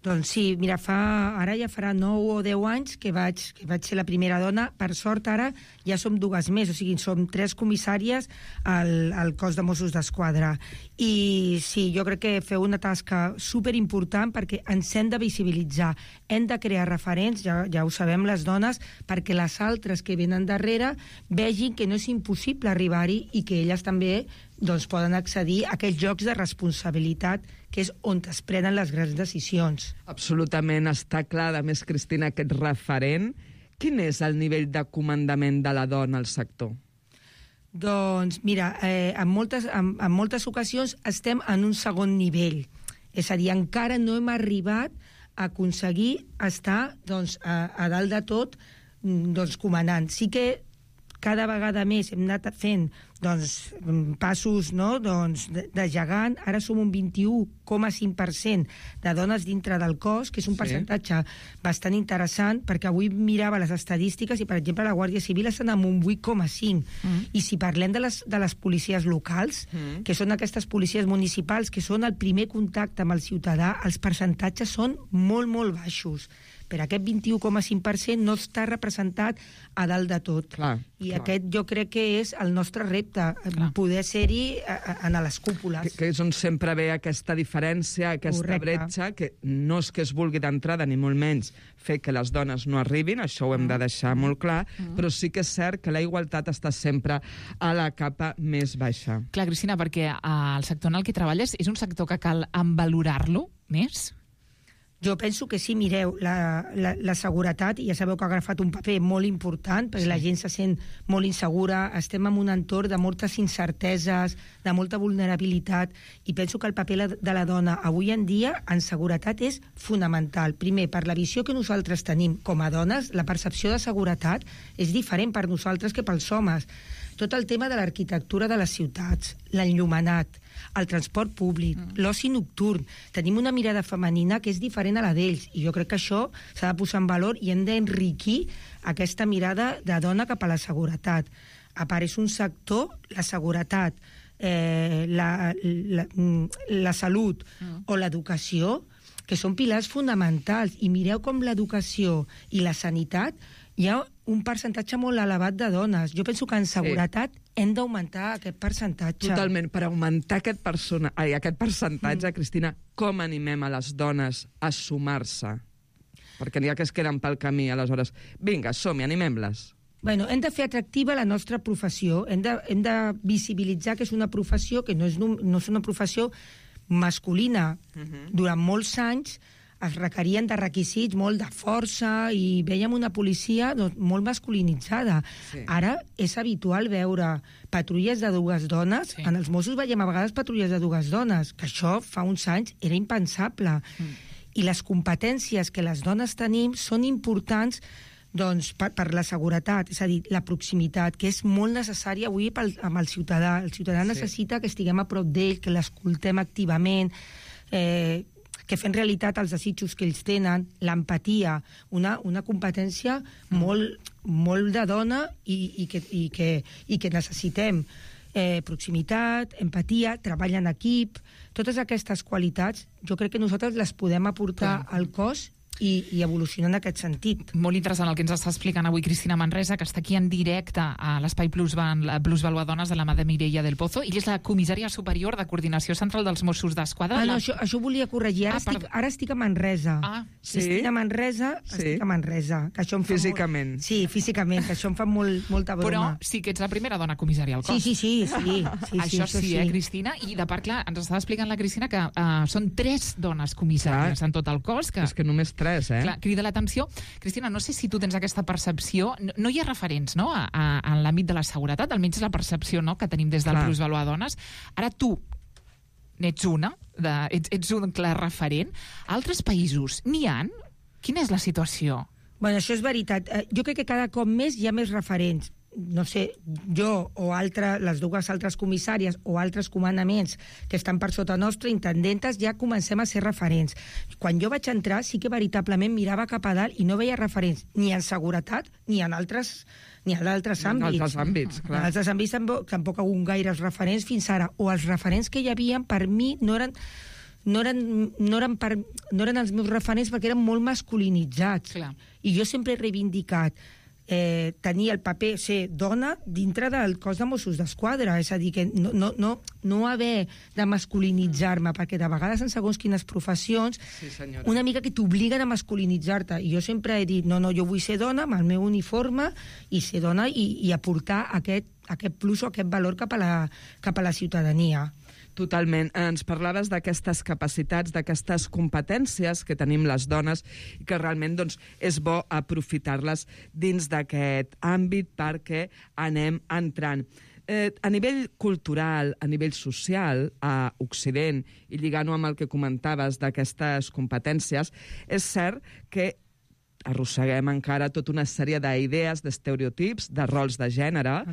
Doncs sí, mira, ara ja farà 9 o 10 anys que vaig ser la primera dona. Per sort, ara ja som 2 més, o sigui, som 3 comissàries al cos de Mossos d'Esquadra. I sí, jo crec que feu una tasca superimportant perquè ens hem de visibilitzar. Hem de crear referents, ja ho sabem les dones, perquè les altres que venen darrere vegin que no és impossible arribar-hi i que elles també poden accedir a aquells llocs de responsabilitat que és on es prenen les grans decisions. Absolutament, està clar, a més, Cristina, aquest referent. Quin és el nivell de comandament de la dona al sector? Doncs, mira, en moltes ocasions estem en un segon nivell. És a dir, encara no hem arribat a aconseguir estar a dalt de tot comandant. Sí que cada vegada més hem anat fent passos de gegant. Ara som un 21,5% de dones dintre del cos, que és un percentatge bastant interessant, perquè avui mirava les estadístiques i, per exemple, la Guàrdia Civil estan amb un 8,5%. I si parlem de les policies locals, que són aquestes policies municipals, que són el primer contacte amb el ciutadà, els percentatges són molt, molt baixos. Per aquest 21,5% no està representat a dalt de tot. Aquest jo crec que és el nostre repte, poder ser-hi a les cúpules. Que és on sempre ve aquesta diferència, aquesta bretxa, que no és que es vulgui d'entrada, ni molt menys fer que les dones no arribin, això ho hem de deixar molt clar, però sí que és cert que la igualtat està sempre a la capa més baixa. Clar, Cristina, perquè el sector en el que treballes és un sector que cal envalorar-lo més? Jo penso que sí, mireu, la seguretat, ja sabeu que ha agafat un paper molt important, perquè la gent se sent molt insegura, estem en un entorn de moltes incerteses, de molta vulnerabilitat, i penso que el paper de la dona avui en dia en seguretat és fonamental. Primer, per la visió que nosaltres tenim com a dones, la percepció de seguretat és diferent per nosaltres que pels homes. Tot el tema de l'arquitectura de les ciutats, l'enllumenat, el transport públic, l'oci nocturn. Tenim una mirada femenina que és diferent a la d'ells, i jo crec que això s'ha de posar en valor i hem d'enriquir aquesta mirada de dona cap a la seguretat. A part, és un sector, la seguretat, la salut o l'educació, que són pilars fonamentals. I mireu com l'educació i la sanitat hi ha un percentatge molt elevat de dones. Jo penso que en seguretat hem d'augmentar aquest percentatge. Totalment. Per augmentar aquest percentatge, Cristina, com animem a les dones a sumar-se? Perquè n'hi ha que es queden pel camí, aleshores. Vinga, som-hi, animem-les. Bueno, hem de fer atractiva la nostra professió. Hem de visibilitzar que és una professió que no és una professió masculina. Durant molts anys es requerien de requisits, molt de força, i veiem una policia molt masculinitzada. Ara és habitual veure patrulles de 2 dones. En els Mossos veiem a vegades patrulles de 2 dones, que això fa uns anys era impensable. I les competències que les dones tenim són importants per la seguretat, és a dir, la proximitat, que és molt necessària avui amb el ciutadà. El ciutadà necessita que estiguem a prop d'ell, que l'escoltem activament, que fem realitat els desitjos que ells tenen, l'empatia, una competència molt de dona i que necessitem. Proximitat, empatia, treball en equip, totes aquestes qualitats jo crec que nosaltres les podem aportar al cos i evolucionar en aquest sentit. Molt interessant el que ens està explicant avui Cristina Manresa, que està aquí en directe a l'Espai Plusvalua Dones de la mà de Mireia del Pozo. Ella és la comissària superior de Coordinació Central dels Mossos d'Esquadra. No, això volia corregir. Ara estic a Manresa. Sí? Estic a Manresa, estic a Manresa. Que això em fa físicament. Sí, físicament, que això em fa molta broma. Però sí que ets la primera dona comissària al cos. Sí. Això sí, Cristina? I de part, clar, ens estava explicant la Cristina que són 3 dones comissàries en tot el cos. És que només 3, Clar, crida l'atenció. Cristina, no sé si tu tens aquesta percepció. No hi ha referents, no?, en l'àmbit de la seguretat, almenys la percepció, no?, que tenim des del Plusvalua Dones. Ara tu n'ets ets un clar referent. Altres països n'hi ha? Quina és la situació? Bueno, això és veritat. Jo crec que cada cop més hi ha més referents. No sé, jo o les dues altres comissàries o altres comandaments que estan per sota nostra, intendentes, ja comencem a ser referents. Quan jo vaig entrar sí que veritablement mirava cap a dalt i no veia referents ni en seguretat ni en altres àmbits. En altres àmbits, clar. En altres àmbits tampoc hi ha hagut gaires referents fins ara. O els referents que hi havia, per mi, no eren els meus referents perquè eren molt masculinitzats. Clar. I jo sempre he reivindicat tenir el paper, ser dona dintre del cos de Mossos d'Esquadra, és a dir, que no haver de masculinitzar-me, perquè de vegades en segons quines professions una mica que t'obliguen a masculinitzar-te, i jo sempre he dit, no, jo vull ser dona amb el meu uniforme i ser dona i aportar aquest plus o aquest valor cap a la ciutadania. Totalment. Ens parlaves d'aquestes capacitats, d'aquestes competències que tenim les dones i que realment és bo aprofitar-les dins d'aquest àmbit perquè anem entrant. A nivell cultural, a nivell social, a Occident, i lligant-ho amb el que comentaves d'aquestes competències, és cert que arrosseguem encara tota una sèrie d'idees, d'estereotips, de rols de gènere,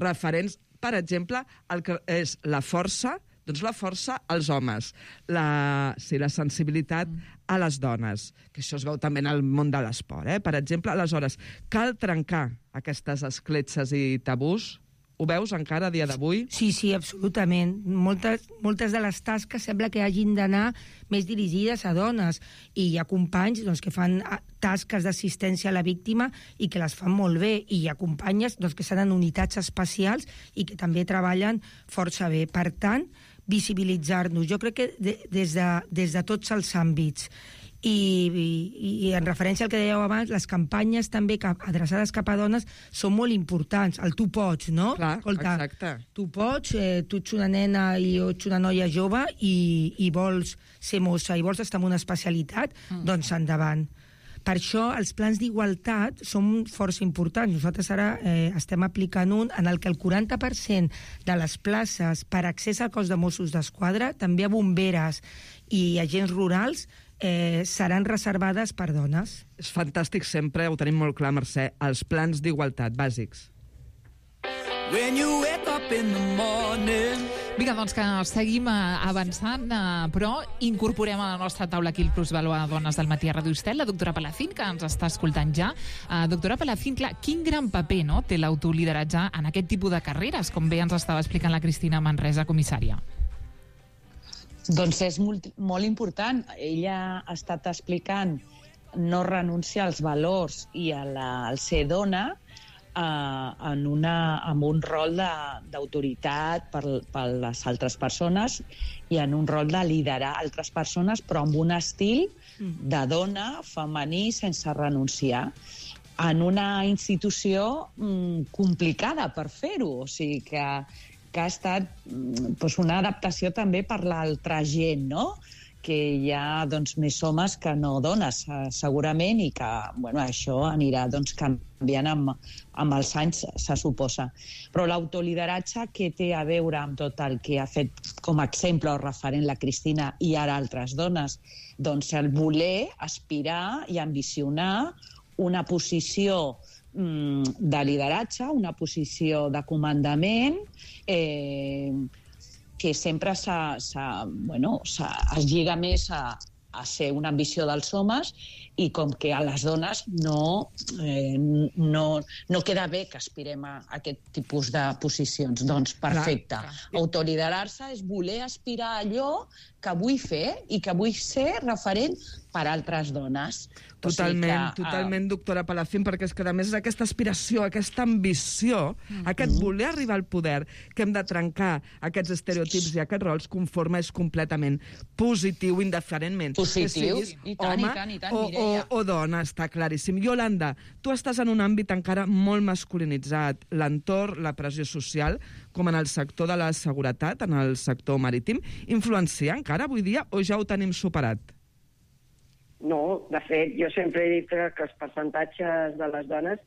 referents, per exemple, al que és la força, doncs la força als homes, la sensibilitat a les dones, que això es veu també en el món de l'esport. Per exemple, aleshores, cal trencar aquestes escletxes i tabús? Ho veus encara a dia d'avui? Sí, absolutament. Moltes de les tasques sembla que hagin d'anar més dirigides a dones, i hi ha companys que fan tasques d'assistència a la víctima i que les fan molt bé, i hi ha companyes que estan en unitats especials i que també treballen força bé. Per tant, visibilitzar-nos. Jo crec que des de tots els àmbits. I en referència al que dèieu abans, les campanyes també adreçades cap a dones són molt importants. El tu pots, no? Clar, exacte. Tu pots, tu ets una nena i jo ets una noia jove i vols ser mossa i vols estar en una especialitat, doncs endavant. Per això els plans d'igualtat són força importants. Nosaltres ara estem aplicant un en el que el 40% de les places per accés al cos de Mossos d'Esquadra, també a bomberes i agents rurals, seran reservades per dones. És fantàstic, sempre ho tenim molt clar, Mercè, els plans d'igualtat bàsics. When you wake up in the morning. Vinga, doncs que seguim avançant, però incorporem a la nostra taula aquí el Plusvalua Dones del matí a Ràdio Estel, la doctora Palacín, que ens està escoltant ja. Doctora Palacín, clar, quin gran paper té l'autolideratge en aquest tipus de carreres, com bé ens estava explicant la Cristina Manresa, comissària? Doncs és molt important. Ella ha estat explicant no renunciar als valors i al ser dona, amb un rol d'autoritat per les altres persones i en un rol de liderar altres persones, però amb un estil de dona femení sense renunciar, en una institució complicada per fer-ho. O sigui que ha estat una adaptació també per l'altra gent, no?, que hi ha més homes que no dones, segurament, i que això anirà canviant amb els anys, se suposa. Però l'autolideratge, què té a veure amb tot el que ha fet com a exemple o referent la Cristina i ara altres dones? Doncs el voler, aspirar i ambicionar una posició de lideratge, una posició de comandament, que sempre es lliga més a ser una ambició dels homes i com que a les dones no queda bé que aspirem a aquest tipus de posicions. Doncs perfecte. Autoliderar-se és voler aspirar a allò que vull fer i que vull ser referent per altres dones. Totalment, doctora Palacín, perquè és que a més és aquesta aspiració, aquesta ambició, aquest voler arribar al poder, que hem de trencar aquests estereotips i aquests rols, conforme és completament positiu, indiferentment. Positiu, i tant, o dona, està claríssim. Iolanda, tu estàs en un àmbit encara molt masculinitzat, l'entorn, la pressió social, com en el sector de la seguretat, en el sector marítim, influencia encara avui dia o ja ho tenim superat? No, de fet, jo sempre he dit que els percentatges de les dones,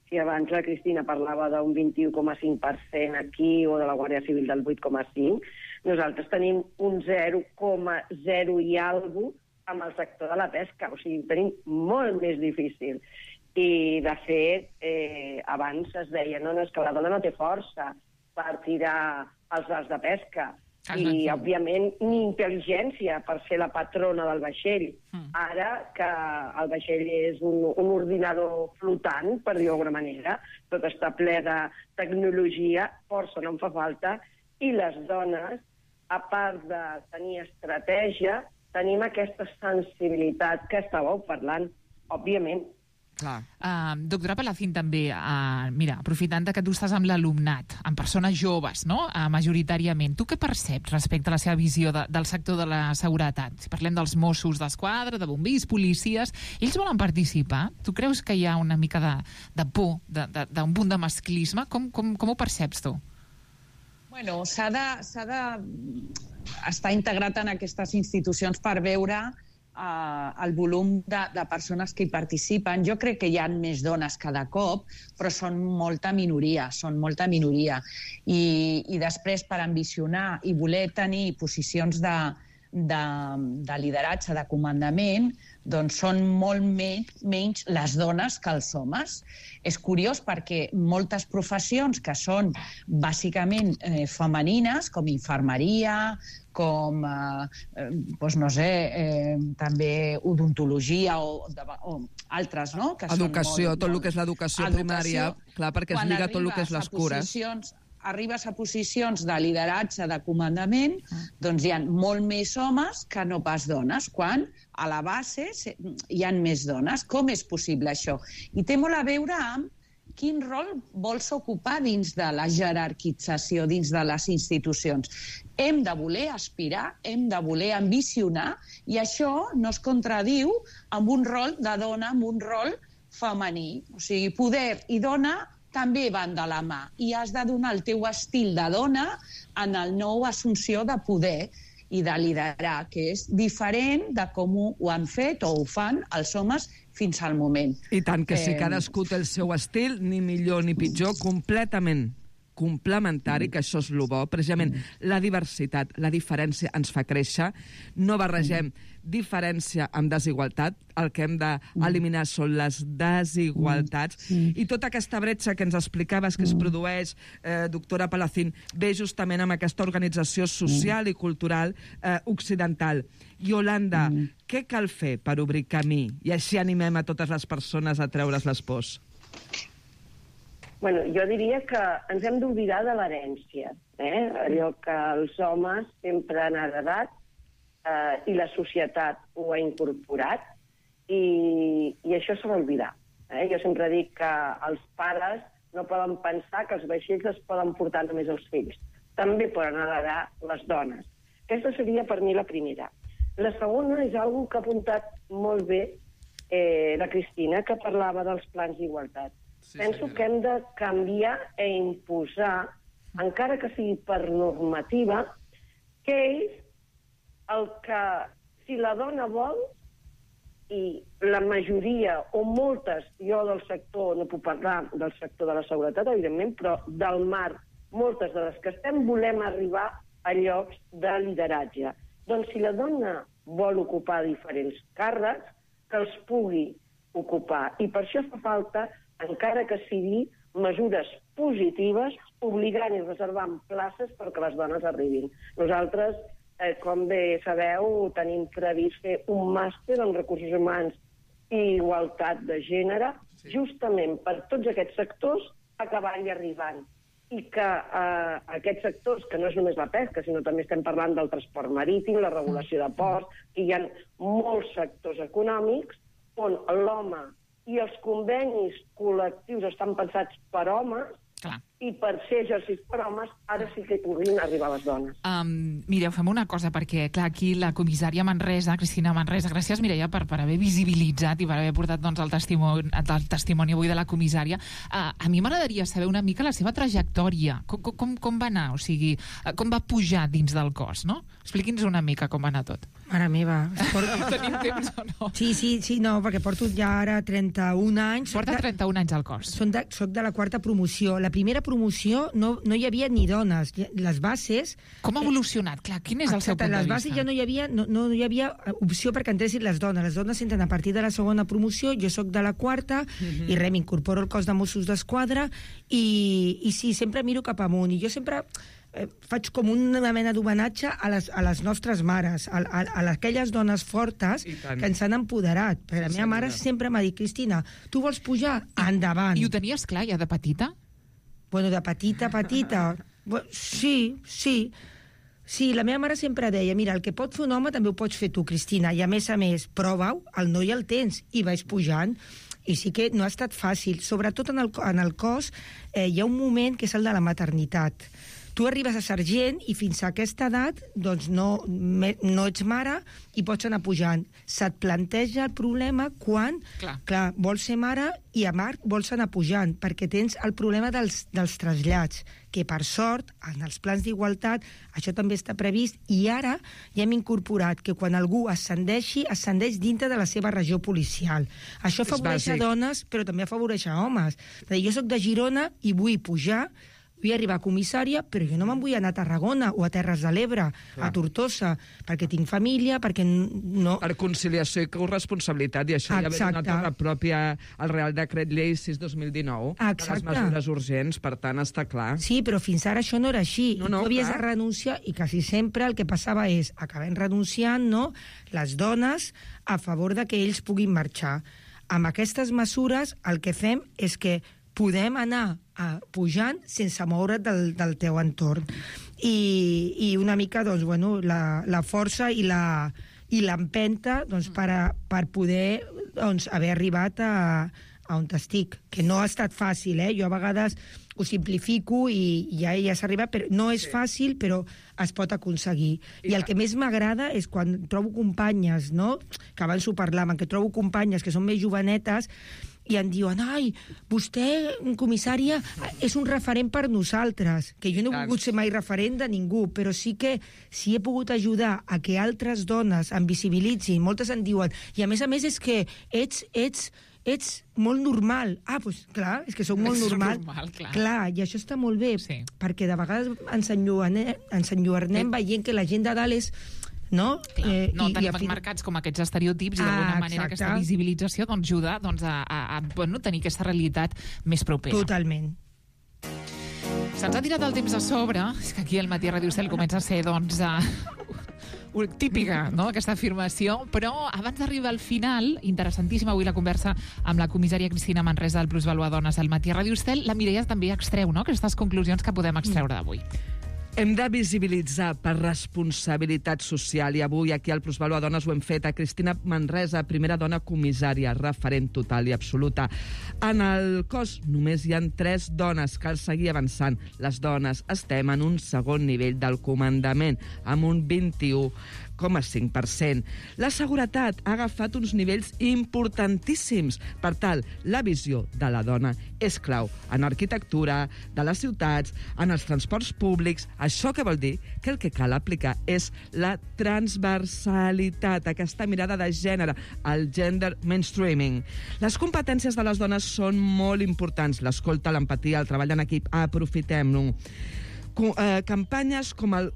si abans la Cristina parlava d'un 21,5% aquí o de la Guàrdia Civil del 8,5%, nosaltres tenim un 0,0 i alguna cosa amb el sector de la pesca, o sigui, ho tenim molt més difícil. I, de fet, abans es deia, no, és que la dona no té força per tirar els arts de pesca, i, òbviament, ni intel·ligència per ser la patrona del vaixell. Ara que el vaixell és un ordinador flotant, per dir-ho d'alguna manera, tot està ple de tecnologia, força no en fa falta, i les dones, a part de tenir estratègia, tenim aquesta sensibilitat que estàveu parlant, òbviament. Doctora Palacín, també, mira, aprofitant que tu estàs amb l'alumnat, amb persones joves, no?, majoritàriament, tu què perceps respecte a la seva visió del sector de la seguretat? Si parlem dels Mossos d'Esquadra, de bombers, policies, ells volen participar? Tu creus que hi ha una mica de por, d'un punt de masclisme? Com ho perceps tu? Bueno, s'ha de estar integrat en aquestes institucions per veure el volum de persones que hi participen. Jo crec que hi ha més dones cada cop, però són molta minoria. I després, per ambicionar i voler tenir posicions de lideratge, de comandament, doncs són molt menys les dones que els homes. És curiós perquè moltes professions que són bàsicament femenines, com infermeria, com, no sé, també odontologia o altres, no? Educació, tot el que és l'educació primària, clar, perquè es lliga tot el que és les cures. Arribes a posicions de lideratge, de comandament, doncs hi ha molt més homes que no pas dones, quan a la base hi ha més dones. Com és possible això? I té molt a veure amb quin rol vols ocupar dins de la jerarquització, dins de les institucions. Hem de voler aspirar, hem de voler ambicionar, i això no es contradiu amb un rol de dona, amb un rol femení. O sigui, poder i dona també van de la mà, i has de donar el teu estil de dona en el nou assumpció de poder i de liderar, que és diferent de com ho han fet o ho fan els homes fins al moment. I tant, que si cadascú té el seu estil, ni millor ni pitjor, completament complementari, que això és el bo. Precisament la diversitat, la diferència ens fa créixer. No barregem diferència amb desigualtat. El que hem d'eliminar són les desigualtats. I tota aquesta bretxa que ens explicaves que es produeix, doctora Palacín, ve justament amb aquesta organització social i cultural occidental. Iolanda, què cal fer per obrir camí? I així animem a totes les persones a treure's les pors. Bueno, jo diria que ens hem d'oblidar de l'herència, allò que els homes sempre han heredat i la societat ho ha incorporat, i això s'ha d'oblidar. Jo sempre dic que els pares no poden pensar que els vaixells es poden portar només els fills. També poden heredar les dones. Aquesta seria per mi la primera. La segona és una que ha apuntat molt bé la Cristina, que parlava dels plans d'igualtat. Penso que hem de canviar i imposar, encara que sigui per normativa, que és el que, si la dona vol, i la majoria, o moltes, jo del sector, no puc parlar del sector de la seguretat, evidentment, però del mar, moltes de les que estem, volem arribar a llocs de lideratge. Doncs si la dona vol ocupar diferents càrrecs, que els pugui ocupar. I per això fa falta, encara que sigui mesures positives, obligant i reservant places perquè les dones arribin. Nosaltres com bé sabeu, tenim previst fer un màster en recursos humans i igualtat de gènere, justament per tots aquests sectors acabar-hi arribant. I que aquests sectors, que no és només la pesca, sinó també estem parlant del transport marítim, la regulació de ports, que hi ha molts sectors econòmics on l'home i els convenis col·lectius estan pensats per homes, i per ser exercits per homes, ara sí que hi puguin arribar les dones. Mireu, fem una cosa, perquè, clar, aquí la comissària Manresa, Cristina Manresa, gràcies, Mireia, per haver visibilitzat i per haver portat el testimoni avui de la comissària. A mi m'agradaria saber una mica la seva trajectòria. Com va anar? O sigui, com va pujar dins del cos, no? Expliqui'ns una mica com va anar tot. Mare meva. Tenim temps o no? Sí, no, perquè porto ja ara 31 anys. Porta 31 anys al cos. Soc de la 4ª promoció. La primera promoció no hi havia ni dones. Les bases... Com ha evolucionat? Clar, quin és el seu punt de vista? Les bases ja no hi havia opció perquè entressin les dones. Les dones entren a partir de la 2ª promoció, jo sóc de la 4ª, i m'incorporo al cos de Mossos d'Esquadra, i sí, sempre miro cap amunt. I jo sempre faig com una mena d'homenatge a les nostres mares, a aquelles dones fortes que ens han empoderat. Perquè la meva mare sempre m'ha dit, Cristina, tu vols pujar? Endavant. I ho tenies clar ja de petita? Bueno, de petita. Sí. Sí, la meva mare sempre deia, mira, el que pot fer un home també ho pots fer tu, Cristina, i a més, prova-ho, el no hi el tens, i vaig pujant. I sí que no ha estat fàcil. Sobretot en el cos hi ha un moment que és el de la maternitat. Tu arribes a sergent i fins a aquesta edat doncs no ets mare i pots anar pujant. Se't planteja el problema quan, clar, vols ser mare i a mar vols anar pujant, perquè tens el problema dels trasllats, que per sort, en els plans d'igualtat, això també està previst, i ara ja hem incorporat que quan algú ascendeix dintre de la seva regió policial. Això afavoreix a dones, però també afavoreix a homes. Jo soc de Girona i vull pujar, vull arribar a comissària, però jo no me'n vull anar a Tarragona o a Terres de l'Ebre, a Tortosa, perquè tinc família, perquè no... Per conciliació i corresponsabilitat, i això ja ve donat per la pròpia, el Real Decret Llei 6/2019, de les mesures urgents, per tant, està clar. Sí, però fins ara això no era així. Tu havies de renunciar, i quasi sempre el que passava és, acabem renunciant, no?, les dones a favor de que ells puguin marxar. Amb aquestes mesures, el que fem és que podem anar pujant sense moure't del teu entorn. I una mica, doncs, bueno, la força i l'empenta per poder haver arribat a on estic, que no ha estat fàcil, jo a vegades ho simplifico i ja s'ha arribat, però no és fàcil, però es pot aconseguir. I el que més m'agrada és quan trobo companyes, no?, que abans ho parlàvem, que trobo companyes que són més jovenetes i em diuen, ai, vostè, comissària, és un referent per nosaltres, que jo no he volgut ser mai referent de ningú, però sí que si he pogut ajudar a que altres dones em visibilitzin, moltes em diuen, i a més és que ets molt normal. Doncs clar, és que soc molt normal. Clar, i això està molt bé, perquè de vegades ens enlluernem veient que la gent de dalt és... No tenim marcats com aquests estereotips i d'alguna manera aquesta visibilització ajuda a tenir aquesta realitat més propera. Totalment. Se'ns ha tirat el temps a sobre, és que aquí el Matí a Ràdio Cel comença a ser típica, no?, aquesta afirmació, però abans d'arribar al final, interessantíssima avui la conversa amb la comissària Cristina Manresa del Plusvalua Dones al Matí a Ràdio Cel, la Mireia també extreu, no?, aquestes conclusions que podem extreure d'avui. Hem de visibilitzar per responsabilitat social, i avui aquí al Plusvalua Dones ho hem fet. A Cristina Manresa, primera dona comissària, referent total i absoluta. En el cos només hi ha 3 dones, cal seguir avançant. Les dones estem en un segon nivell del comandament, amb un 21,5%. La seguretat ha agafat uns nivells importantíssims. Per tant, la visió de la dona és clau en arquitectura, de les ciutats, en els transports públics. Això què vol dir? Que el que cal aplicar és la transversalitat, aquesta mirada de gènere, el gender mainstreaming. Les competències de les dones són molt importants. L'escolta, l'empatia, el treball en equip, aprofitem-ho. Campanyes com el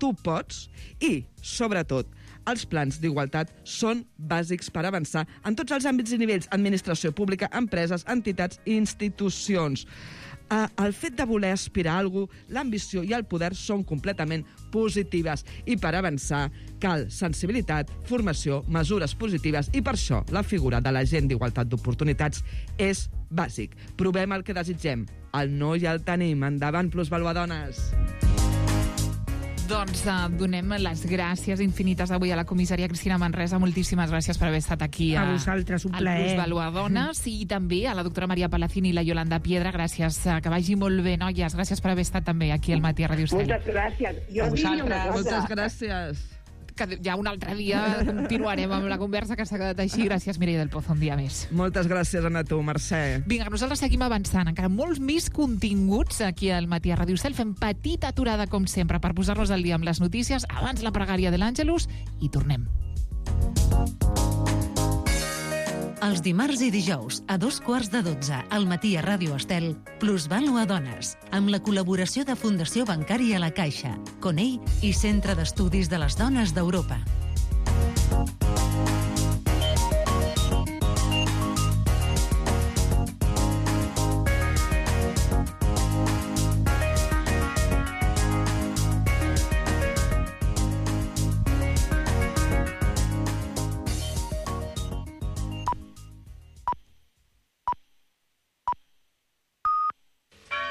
Tu pots i, sobretot, els plans d'igualtat són bàsics per avançar en tots els àmbits i nivells, administració pública, empreses, entitats i institucions. el fet de voler aspirar a alguna cosa, l'ambició i el poder són completament positives. I per avançar cal sensibilitat, formació, mesures positives, i per això la figura de l'agent d'igualtat d'oportunitats és bàsic. Provem el que desitgem. El no ja el tenim. Endavant, plusvaluadones! Doncs donem les gràcies infinites avui a la comissaria Cristina Manresa. Moltíssimes gràcies per haver estat aquí a vosaltres, un plaer. Plusvaluadones, i també a la doctora Maria Palacín i la Yolanda Piedra. Gràcies, que vagi molt bé, noies. Gràcies per haver estat també aquí al Matí a Ràdio Estel. Moltes gràcies. Jo diria una cosa. Moltes gràcies. Que ja un altre dia continuarem amb la conversa que s'ha quedat així. Gràcies, Mireia del Pozo, un dia més. Moltes gràcies a tu, Mercè. Vinga, nosaltres seguim avançant. Encara molts més continguts aquí al Matí a Ràdio Estel. Fem petita aturada, com sempre, per posar-nos al dia amb les notícies. Abans la pregària de l'Àngelus i tornem. Els dimarts i dijous, a 2:15 al Matí a Ràdio Estel, Plusvàlua Dones, amb la col·laboració de Fundació Bancària La Caixa, Conell i Centre d'Estudis de les Dones d'Europa.